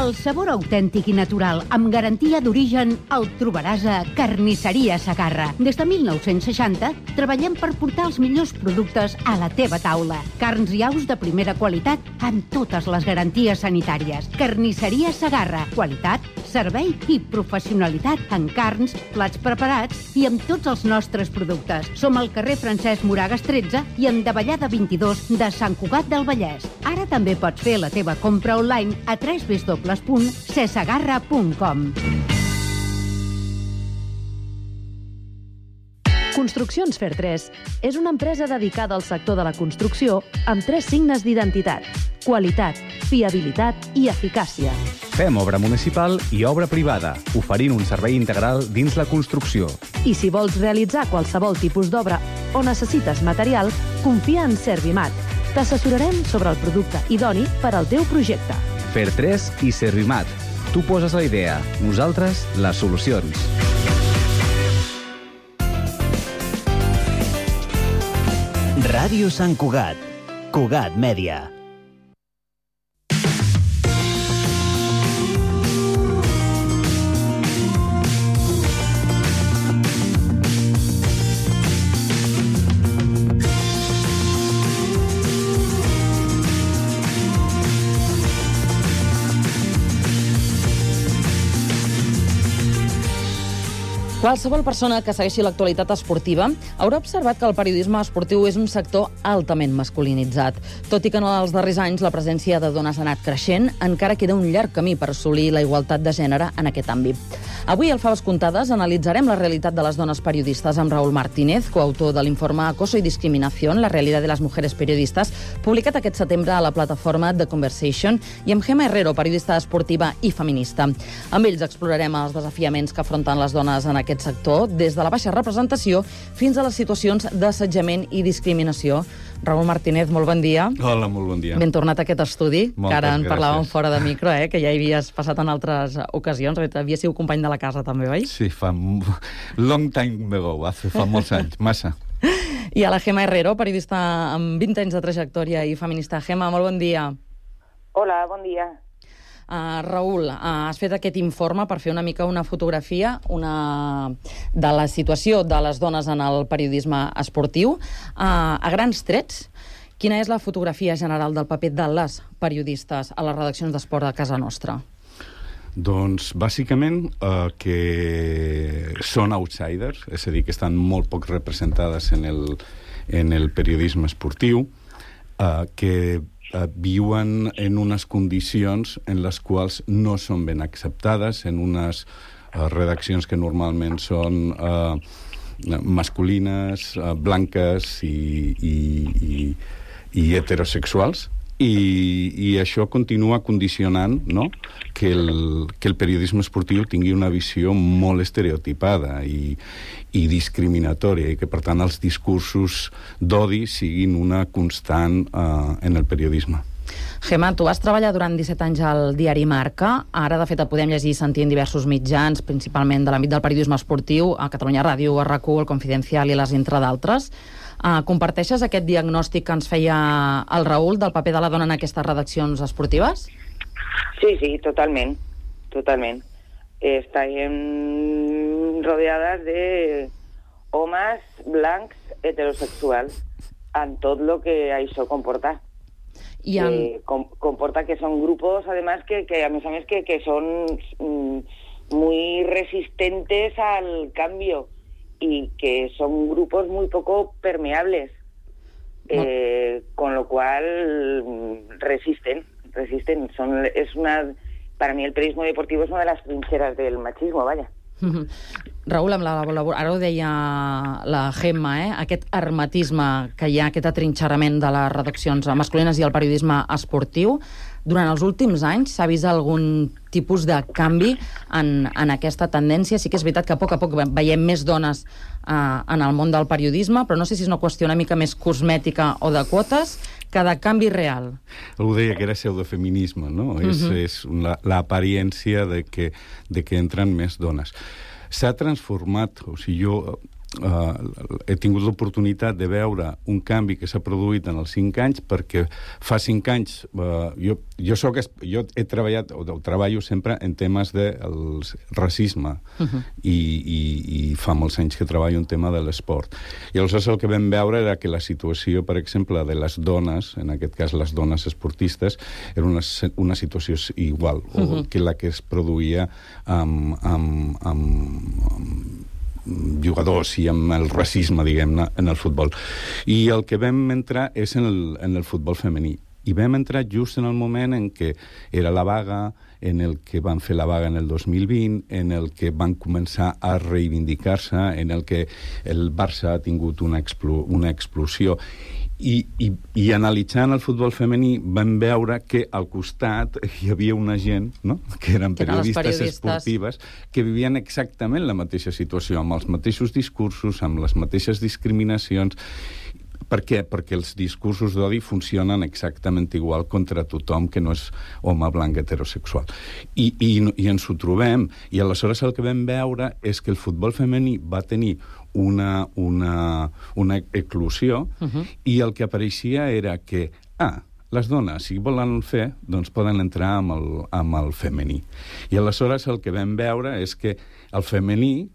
El sabor autèntic i natural, amb garantia d'origen, el trobaràs a Carnisseria Segarra. Des de 1960 treballem per portar els millors productes a la teva taula. Carns i aus de primera qualitat amb totes les garanties sanitàries. Carnisseria Segarra. Qualitat, servei i professionalitat en carns, plats preparats i amb tots els nostres productes. Som al carrer Francesc Moragas 13 i en Davallada 22 de Sant Cugat del Vallès. Ara també pots fer la teva compra online a www.cesegarra.com. Construccions Fer3 és una empresa dedicada al sector de la construcció amb 3 signes d'identitat: qualitat, fiabilitat i eficàcia. Fem obra municipal i obra privada, oferint un servei integral dins la construcció. I si vols realitzar qualsevol tipus d'obra o necessites material, confia en Servimat. T'assessorarem sobre el producte idoni per al teu projecte. Fer3 i Servimat. Tu poses la idea, nosaltres les solucions. Ràdio Sant Cugat. Cugat Mèdia. Qualsevol persona que segueixi l'actualitat esportiva haurà observat que el periodisme esportiu és un sector altament masculinitzat. Tot i que en els darrers anys la presència de dones ha anat creixent, encara queda un llarg camí per assolir la igualtat de gènere en aquest àmbit. Avui, al Faves Comptades, analitzarem la realitat de les dones periodistes amb Raúl Martínez, coautor de l'informe Acoso y Discriminación, la realidad de las mujeres periodistas, publicat aquest setembre a la plataforma The Conversation, i amb Gemma Herrero, periodista esportiva i feminista. Amb ells explorarem els desafiaments que afronten les dones en aquest sector, des de la baixa representació fins a les situacions d'assetjament i discriminació. Raúl Martínez, molt bon dia. Hola, molt bon dia. Ben tornat a aquest estudi, Moltes que ara en gràcies. parlàvem fora de micro, que ja hi havies passat en altres ocasions. Havia sigut company de la casa, també, oi? Sí, fa long time ago, fa molts anys, massa. I a la Gemma Herrero, periodista amb 20 anys de trajectòria i feminista. Gemma, molt bon dia. Hola, bon dia. Raúl, has fet aquest informe per fer una mica una fotografia de la situació de les dones en el periodisme esportiu. A grans trets, quina és la fotografia general del paper de les periodistes a les redaccions d'esport de casa nostra? Doncs, bàsicament, que són outsiders, és a dir, que estan molt poc representades en el periodisme esportiu, que viuen en unes condicions en les quals no són ben acceptades, en unes redaccions que normalment són masculines, blanques i heterosexuals, i això continua condicionant, no?, que el periodisme esportiu tingui una visió molt estereotipada i discriminatòria, i que, per tant, els discursos d'odi siguin una constant en el periodisme. Gemma, tu vas treballar durant 17 anys al diari Marca. Ara, de fet, et podem llegir i sentir en diversos mitjans, principalment de l'àmbit del periodisme esportiu, a Catalunya Ràdio, a RAC1, el Confidencial i les entre d'altres. Comparteixes aquest diagnòstic que ens feia el Raúl del paper de la dona en aquestes redaccions esportives? Sí, totalment. Estem rodeades de homes blancs heterosexuals en tot el que això comporta. Comporta que son grupos, además, que a més que son muy resistentes al cambio y que son grupos muy poco permeables, con lo cual resisten. Para mí el periodismo deportivo es una de las trincheras del machismo, vaya. Raül, ara ho deia la Gemma, aquest hermetisme que hi ha, aquest atrinxerament de les redaccions masculines i el periodisme esportiu, durant els últims anys s'ha vist algun tipus de canvi en aquesta tendència? Sí que és veritat que a poc veiem més dones en el món del periodisme, però no sé si és una qüestió una mica més cosmètica o de quotes que de canvi real. Algú deia que era pseudofeminisme, no? És l'apariència de que entren més dones. S'ha transformat, o sigui, jo he tingut l'oportunitat de veure un canvi que s'ha produït en els 5 anys, perquè fa 5 anys jo he treballat, o treballo sempre en temes de racisme, i fa molts anys que treballo en tema de l'esport. I aleshores el que vam veure era que la situació, per exemple, de les dones, en aquest cas les dones esportistes, era una situació igual que la que es produïa amb jugadors i amb el racisme, diguem-ne, en el futbol. I el que vam entrar és en el futbol femení. I vam entrar just en el moment en què era la vaga, en el que van fer la vaga en el 2020, en el que van començar a reivindicar-se, en el que el Barça ha tingut una explosió. I analitzant el futbol femení vam veure que al costat hi havia una gent, no?, que eren periodistes esportives, que vivien exactament la mateixa situació, amb els mateixos discursos, amb les mateixes discriminacions. Per què? Perquè els discursos d'odi funcionen exactament igual contra tothom que no és home blanc heterosexual. I ens ho trobem. I aleshores el que vam veure és que el futbol femení va tenir una eclosió, i el que apareixia era que, les dones, si volen fer, doncs poden entrar amb el femení. I aleshores el que vam veure és que el femení,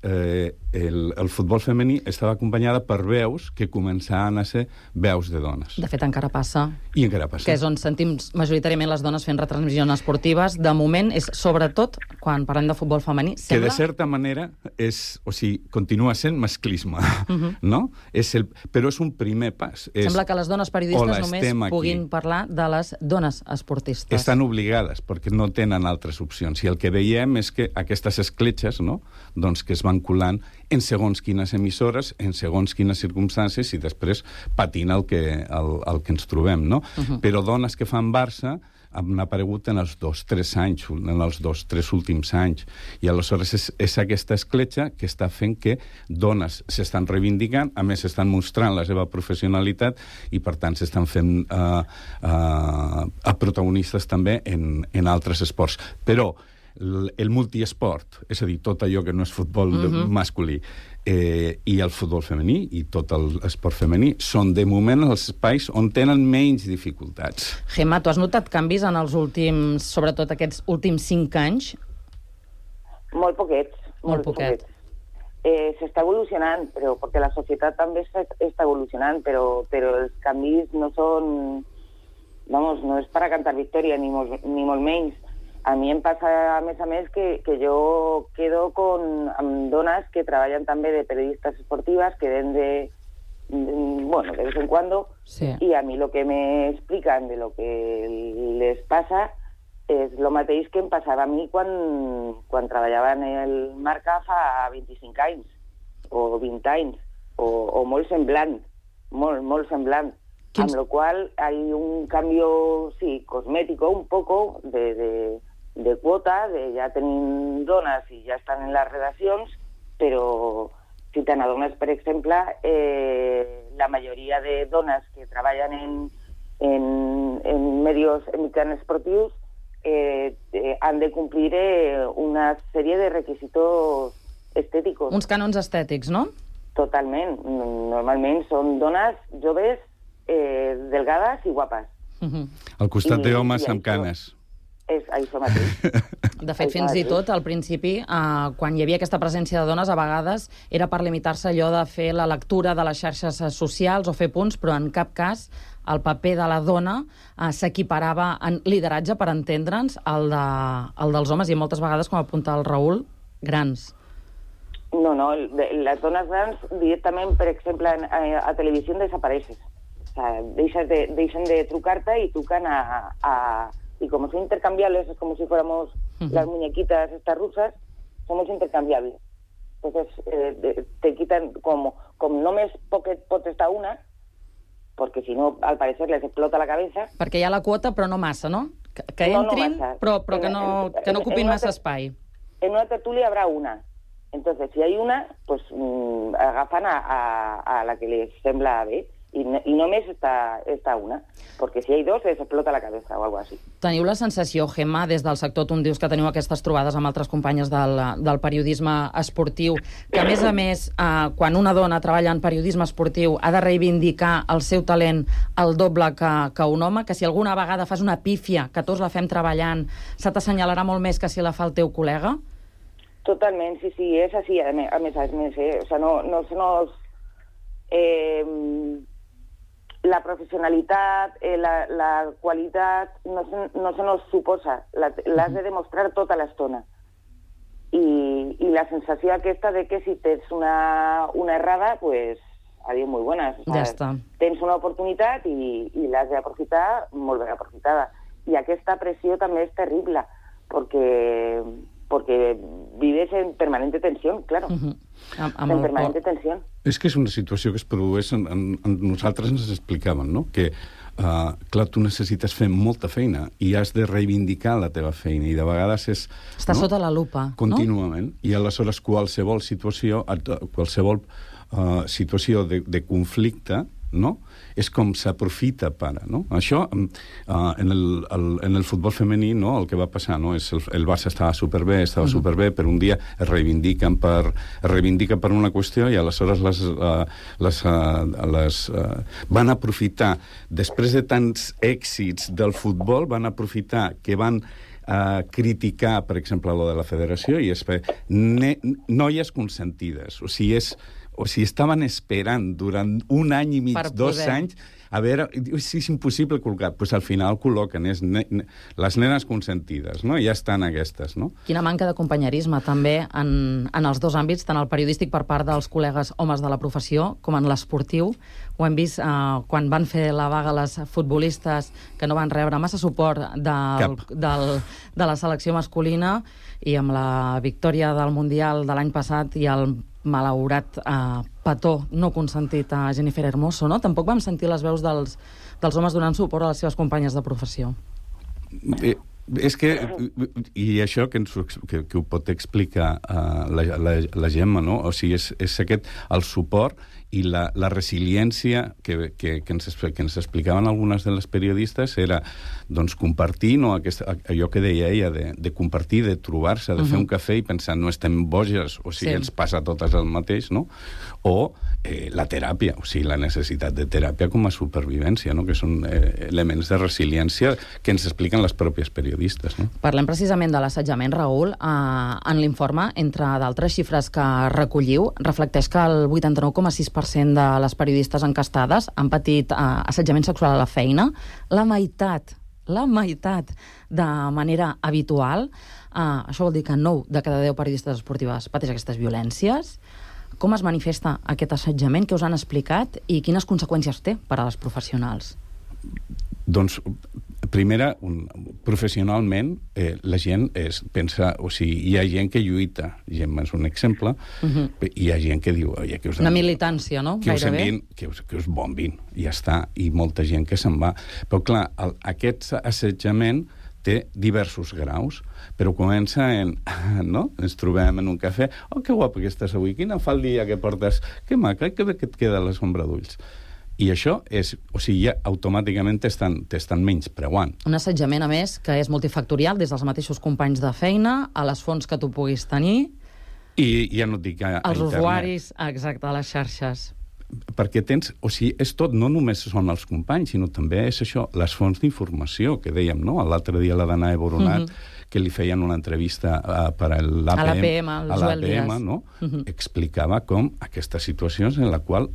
el futbol femení estava acompanyada per veus que començaven a ser veus de dones. De fet, encara passa. I encara passa. Que és on sentim majoritàriament les dones fent retransmissions esportives. De moment, és sobretot, quan parlem de futbol femení, sembla... Que de certa manera continua sent masclisme, no? Però és un primer pas. Sembla que les dones periodistes només puguin parlar de les dones esportistes. Estan obligades, perquè no tenen altres opcions. I el que veiem és que aquestes escletxes, no?, doncs que es van colant en segons quines emissores, en segons quines circumstàncies, i després patint el que ens trobem, no? Però dones que fan Barça han aparegut en els 2-3 anys, en els 2-3 últims anys. I aleshores és aquesta escletxa que està fent que dones s'estan reivindicant, a més s'estan mostrant la seva professionalitat, i per tant s'estan fent protagonistes també en altres esports. Però el multiesport, és a dir, tot allò que no és futbol masculí, i el futbol femení i tot l'esport femení són de moment els espais on tenen menys dificultats. Gemma, tu has notat canvis en els últims, sobretot aquests últims 5 anys? Molt poquets. Molt poquets. S'està evolucionant, però perquè la societat també està evolucionant, però els canvis no són... Vamos, no és per a cantar victòria, ni molt menys. A mi em passa, a més, que jo quedo amb dones que treballen també de periodistes esportives, que ven de vez en cuando, y a mi lo que me explican de lo que les pasa és el mateix que em passava a mi quan treballava en el Marca fa 25 anys, o 20 anys, o molt semblant, molt semblant. Amb lo cual hay un cambio, sí, cosmético, un poco de quota, ja tenim dones i ja estan en les redaccions, però si te n'adones, per exemple, la majoria de dones que treballen en mitjans esportius han de complir una sèrie de requisitos estéticos. Uns cànons estètics, no? Totalment. Normalment són dones joves, delgades i guapes. Al costat d'homes amb canes. És això mateix. De fet, fins i tot, al principi, quan hi havia aquesta presència de dones, a vegades era per limitar-se allò de fer la lectura de les xarxes socials o fer punts, però en cap cas el paper de la dona s'equiparava en lideratge, per entendre'ns, al dels homes, i moltes vegades, com apunta el Raül, grans. No, les dones grans directament, per exemple, a televisió desapareixen. O sea, deixen de trucar-te i trucan y como son intercambiables, es como si fuéramos las muñequitas estas rusas, somos intercambiables. Entonces, te quitan, como només pot estar una, porque si no, al parecer les explota la cabeza. Perquè hi ha la quota, però no massa, no? Que entrin, no massa. però que no ocupin massa espai. En una tertulia habrá una. Entonces, si hay una, pues agafan a la que les sembla bé. I només està una, perquè si hi ha dos es explota la cabeza o algo así. Teniu la sensació, Gemma, des del sector, tu em dius que teniu aquestes trobades amb altres companyes del periodisme esportiu, que a més, quan una dona treballa en periodisme esportiu ha de reivindicar el seu talent el doble que un home, que si alguna vegada fas una pífia, que tots la fem treballant, se t'assenyalarà molt més que si la fa el teu col·lega? Totalment, sí, és així, a més, o sea, no la professionalitat, la qualitat, no se nos suposa, l'has de demostrar tota l'estona. I la sensació aquesta de que si tens una errada, pues, adiós, muy buenas. O sea, ja està. Tens una oportunitat i l'has d'aprofitar molt ben aprofitada. I aquesta pressió també és terrible, porque vives en permanente tensión, claro. En permanente tensión. És que és una situació que es produeix, nosaltres ens explicaven, no? Que, clar, tu necessites fer molta feina i has de reivindicar la teva feina i de vegades és... Està sota la lupa, no? Contínuament. I aleshores qualsevol situació de conflicte, no? És com s'aprofita per... No? Això, en el futbol femení, no? El que va passar, no? És el Barça estava superbé, però un dia es reivindica per una qüestió i aleshores van aprofitar, després de tants èxits del futbol, van aprofitar que van criticar, per exemple, lo de la federació i és fer noies consentides. O sigui, estaven esperant durant un any i mig, 2 anys, a veure, si és impossible col·locar. Doncs al final col·loquen les nenes consentides, no? I ja estan aquestes, no? Quina manca de companyerisme, també, en els dos àmbits, tant el periodístic per part dels col·legues homes de la professió com en l'esportiu. Ho hem vist quan van fer la vaga les futbolistes, que no van rebre massa suport de la selecció masculina, i amb la victòria del Mundial de l'any passat i el malaurat petó no consentit a Jennifer Hermoso, no? Tampoc vam sentir les veus dels homes donant suport a les seves companyes de professió. És que, i això que ho pot explicar la Gemma, no? O sigui, és aquest, el suport i la resiliència que ens explicaven algunes de les periodistes era, doncs, compartir, no, allò que deia ella, de compartir, de trobar-se, de fer un cafè i pensar, no estem boges, o sigui, ens passa a totes el mateix, no? O la teràpia, o sigui, la necessitat de teràpia com a supervivència, no? Que són elements de resiliència que ens expliquen les pròpies periodistes, no? Parlem precisament de l'assetjament, Raül. En l'informe, entre d'altres xifres que recolliu, reflecteix que el 89,6% de les periodistes encastades han patit assetjament sexual a la feina. La meitat de manera habitual. Això vol dir que 9 de cada 10 periodistes esportives pateix aquestes violències. Com es manifesta aquest assetjament? Què us han explicat? I quines conseqüències té per a les professionals? Doncs, primera, professionalment, la gent pensa... O sigui, hi ha gent que lluita. Gemma és un exemple. Hi ha gent que diu... Una militància, no? Que us bombin. I ja està. I molta gent que se'n va. Però, clar, aquest assetjament té diversos graus, però comença no? Ens trobem en un cafè. Oh, que guapa que estàs avui. Quina faldilla que portes. Que maca, que bé que et queda la sombra d'ulls. I això és... O sigui, ja automàticament t'estan menyspreuant. Un assetjament, a més, que és multifactorial, des dels mateixos companys de feina, a les fonts que tu puguis tenir... I ja no et dic a els internet. Usuaris, exacte, a les xarxes. Perquè tens... O sigui, és tot, no només són els companys, sinó també és això, les fonts d'informació, que dèiem, no? L'altre dia la Danae Boronat, que li feien una entrevista per a l'APM, no? Explicava com aquestes situacions en la qual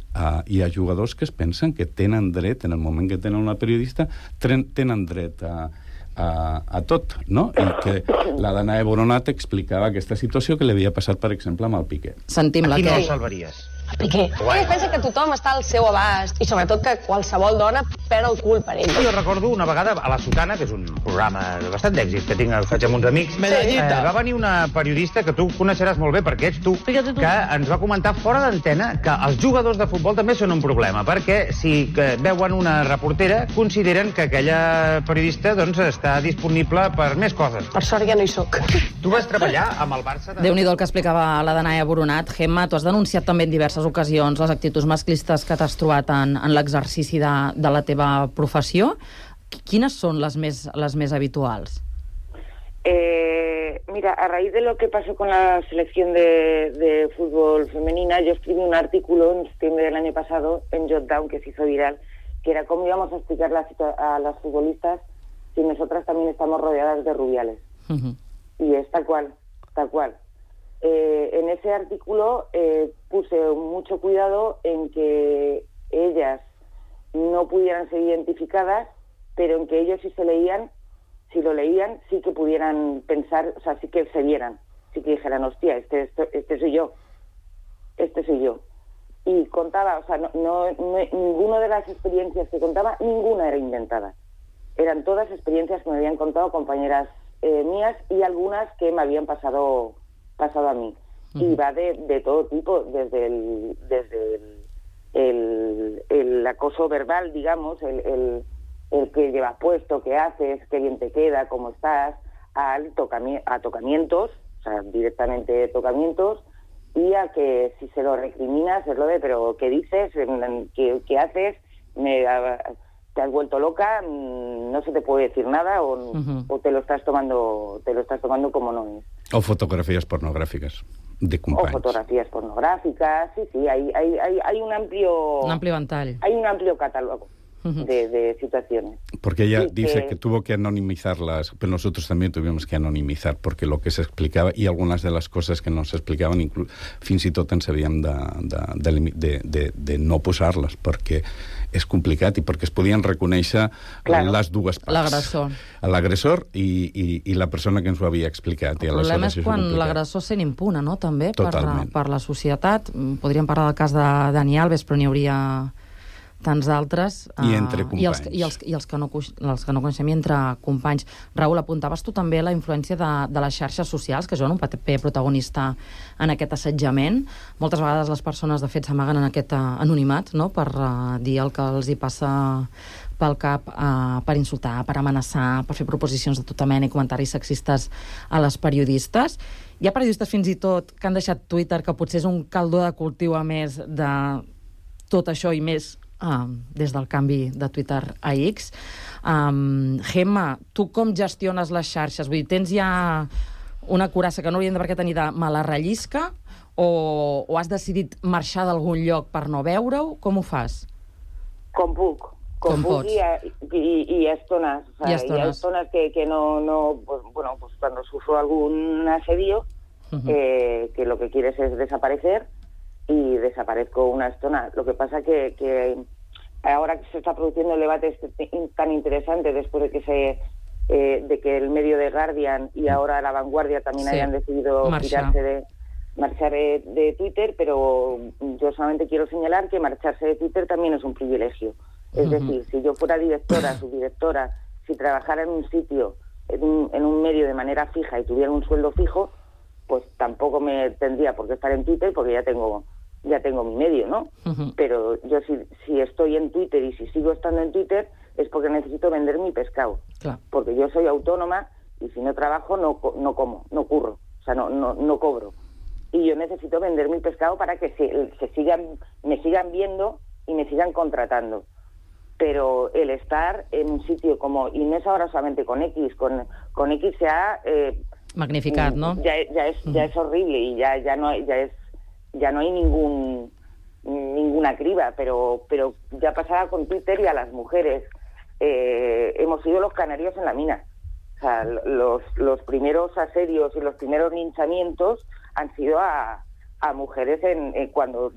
hi ha jugadors que es pensen que tenen dret, en el moment que tenen una periodista, tenen dret a tot, no? I que la Danae Boronat explicava aquesta situació que li havia passat, per exemple, amb el Piqué. Sentim la que... Aquí no el salvaries. Piqué. Ell pensa que tothom està al seu abast i sobretot que qualsevol dona perd el cul per ell. Jo recordo una vegada a La Sotana, que és un programa bastant d'èxit que faig amb uns amics, va venir una periodista que tu coneixeràs molt bé perquè ets tu, que ens va comentar fora d'antena que els jugadors de futbol també són un problema, perquè si veuen una reportera consideren que aquella periodista està disponible per més coses. Per sort ja no hi soc. Tu vas treballar amb el Barça de... Déu-n'hi-do el que explicava la Danaia Boronat. Gemma, tu has denunciat també en diverses ocasions les actituds masclistes que t'has trobat en l'exercici de la teva professió. Quines son las més habituals? Mira, a raíz de lo que pasó con la selección de fútbol femenina, yo escribí un artículo en septiembre del año pasado en Jotdown, que se hizo viral, que era cómo íbamos a explicar a las futbolistas si nosotras también estamos rodeadas de rubiales. Y es tal cual, tal cual. En ese artículo puse mucho cuidado en que ellas no pudieran ser identificadas, pero en que ellos si lo leían, sí que pudieran pensar, o sea, sí que se vieran, sí que dijeran, hostia, este soy yo, este soy yo. Y contaba, o sea, ninguna de las experiencias que contaba, ninguna era inventada. Eran todas experiencias que me habían contado compañeras mías y algunas que me habían pasado a mí. Y va de todo tipo, desde el acoso verbal, digamos, el que llevas puesto, qué haces, qué bien te queda, cómo estás, a tocamientos, o sea, directamente tocamientos, y a que si se lo recriminas es lo de, pero ¿qué dices? ¿Qué haces? ¿Te has vuelto loca? No se te puede decir nada o te lo estás tomando como no es. O fotografías pornográficas de companys. O fotografías pornográficas, sí, hay un amplio ventall. Hay un amplio catálogo de situaciones. Porque ella dice que tuvo que anonimizarlas, pero nosotros también tuvimos que anonimizar, porque lo que se explicaba y algunas de las cosas que no se explicaven fins i tot ens havíem de no posar-les, perquè és complicat i perquè es podien reconèixer les dues parts. L'agressor i la persona que ens ho havia explicat. El problema és quan l'agressor sent impune, no?, també, per la societat. Podríem parlar del cas de Dani Alves, però n'hi hauria tants d'altres. I entre companys. I els que no coneixem, i entre companys. Raül, apuntaves tu també la influència de les xarxes socials, que juguen un paper protagonista en aquest assetjament. Moltes vegades les persones, de fet, s'amaguen en aquest anonimat, no?, per dir el que els hi passa pel cap, per insultar, per amenaçar, per fer proposicions de tota mena i comentaris sexistes a les periodistes. Hi ha periodistes fins i tot que han deixat Twitter, que potser és un caldó de cultiu a més de tot això i més des del canvi de Twitter a X. Gemma, tu com gestiones les xarxes? Vull dir, tens ja una curassa que no hauríem de per què tenir de mala rellisca o has decidit marxar d'algun lloc per no veure-ho? Com ho fas? Com puc. Com puc y a estonas. O sea, y a estonas que no pues, bueno, pues cuando sufro algún asedio, que lo que quieres es desaparecer, y desaparezco una estona. Lo que pasa que ahora que se está produciendo el debate tan interesante después de que el medio de Guardian y ahora La Vanguardia también hayan decidido marchar de Twitter, pero yo solamente quiero señalar que marcharse de Twitter también es un privilegio. Es decir, si yo fuera directora, subdirectora, si trabajara en un sitio, en un medio de manera fija y tuviera un sueldo fijo, pues tampoco me tendría por qué estar en Twitter porque ya tengo mi medio, ¿no? Pero yo si estoy en Twitter y si sigo estando en Twitter es porque necesito vender mi pescado. Claro. Porque yo soy autónoma y si no trabajo no como, no curro, o sea, no cobro. Y yo necesito vender mi pescado para que me sigan viendo y me sigan contratando. Pero el estar en un sitio como, y no es ahora solamente con X, con X se ha... magnificat, ¿no? Ya es horrible y ya no hay ninguna criba, pero ya pasaba con Twitter y a las mujeres. Hemos sido los canarios en la mina. O sea, los primeros asedios y los primeros linchamientos han sido a mujeres cuando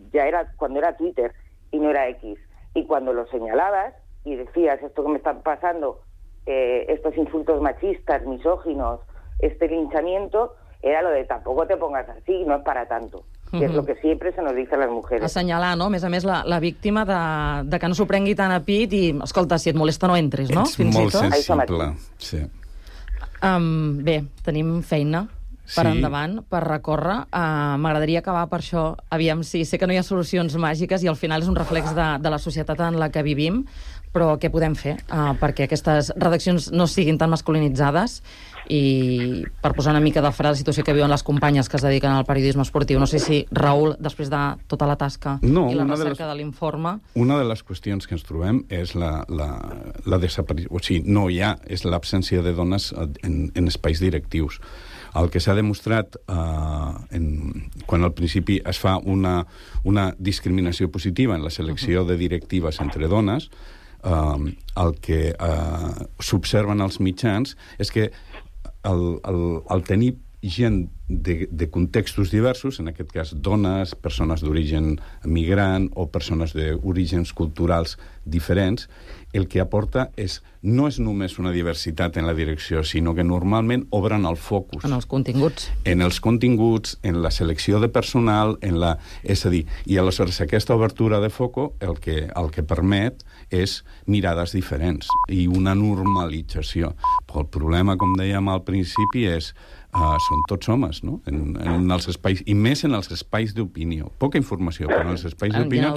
era Twitter y no era X. Y cuando lo señalabas y decías esto que me está pasando, estos insultos machistas, misóginos, este linchamiento, era lo de tampoco te pongas así, no es para tanto. que és lo que siempre se nos dice a las mujeres. Assenyalar, no? A més, la víctima de que no s'ho prengui tan a pit i, escolta, si et molesta no entris, no? Ets molt sensible, sí. Bé, tenim feina per endavant, per recórrer. M'agradaria acabar per això. Aviam, sí, sé que no hi ha solucions màgiques i al final és un reflex de la societat en la que vivim, però què podem fer perquè aquestes redaccions no siguin tan masculinitzades i per posar una mica de fre a la situació que viuen les companyes que es dediquen al periodisme esportiu. No sé si, Raül, després de tota la tasca i la recerca de l'informe... Una de les qüestions que ens trobem és la desaparició... O sigui, no hi ha, és l'absència de dones en espais directius. El que s'ha demostrat quan al principi es fa una discriminació positiva en la selecció de directives entre dones, el que s'observen als mitjans és que el tenir gent de contextos diversos, en aquest cas dones, persones d'origen migrant o persones d'orígens culturals diferents, el que aporta no és només una diversitat en la direcció, sinó que normalment obren el focus. En els continguts. En els continguts, en la selecció de personal, és a dir, i aleshores aquesta obertura de foco el que permet és mirades diferents i una normalització. Però el problema, com dèiem al principi, són tots homes, no? En els espais, i més en els espais d'opinió. Poca informació, però en els espais d'opinió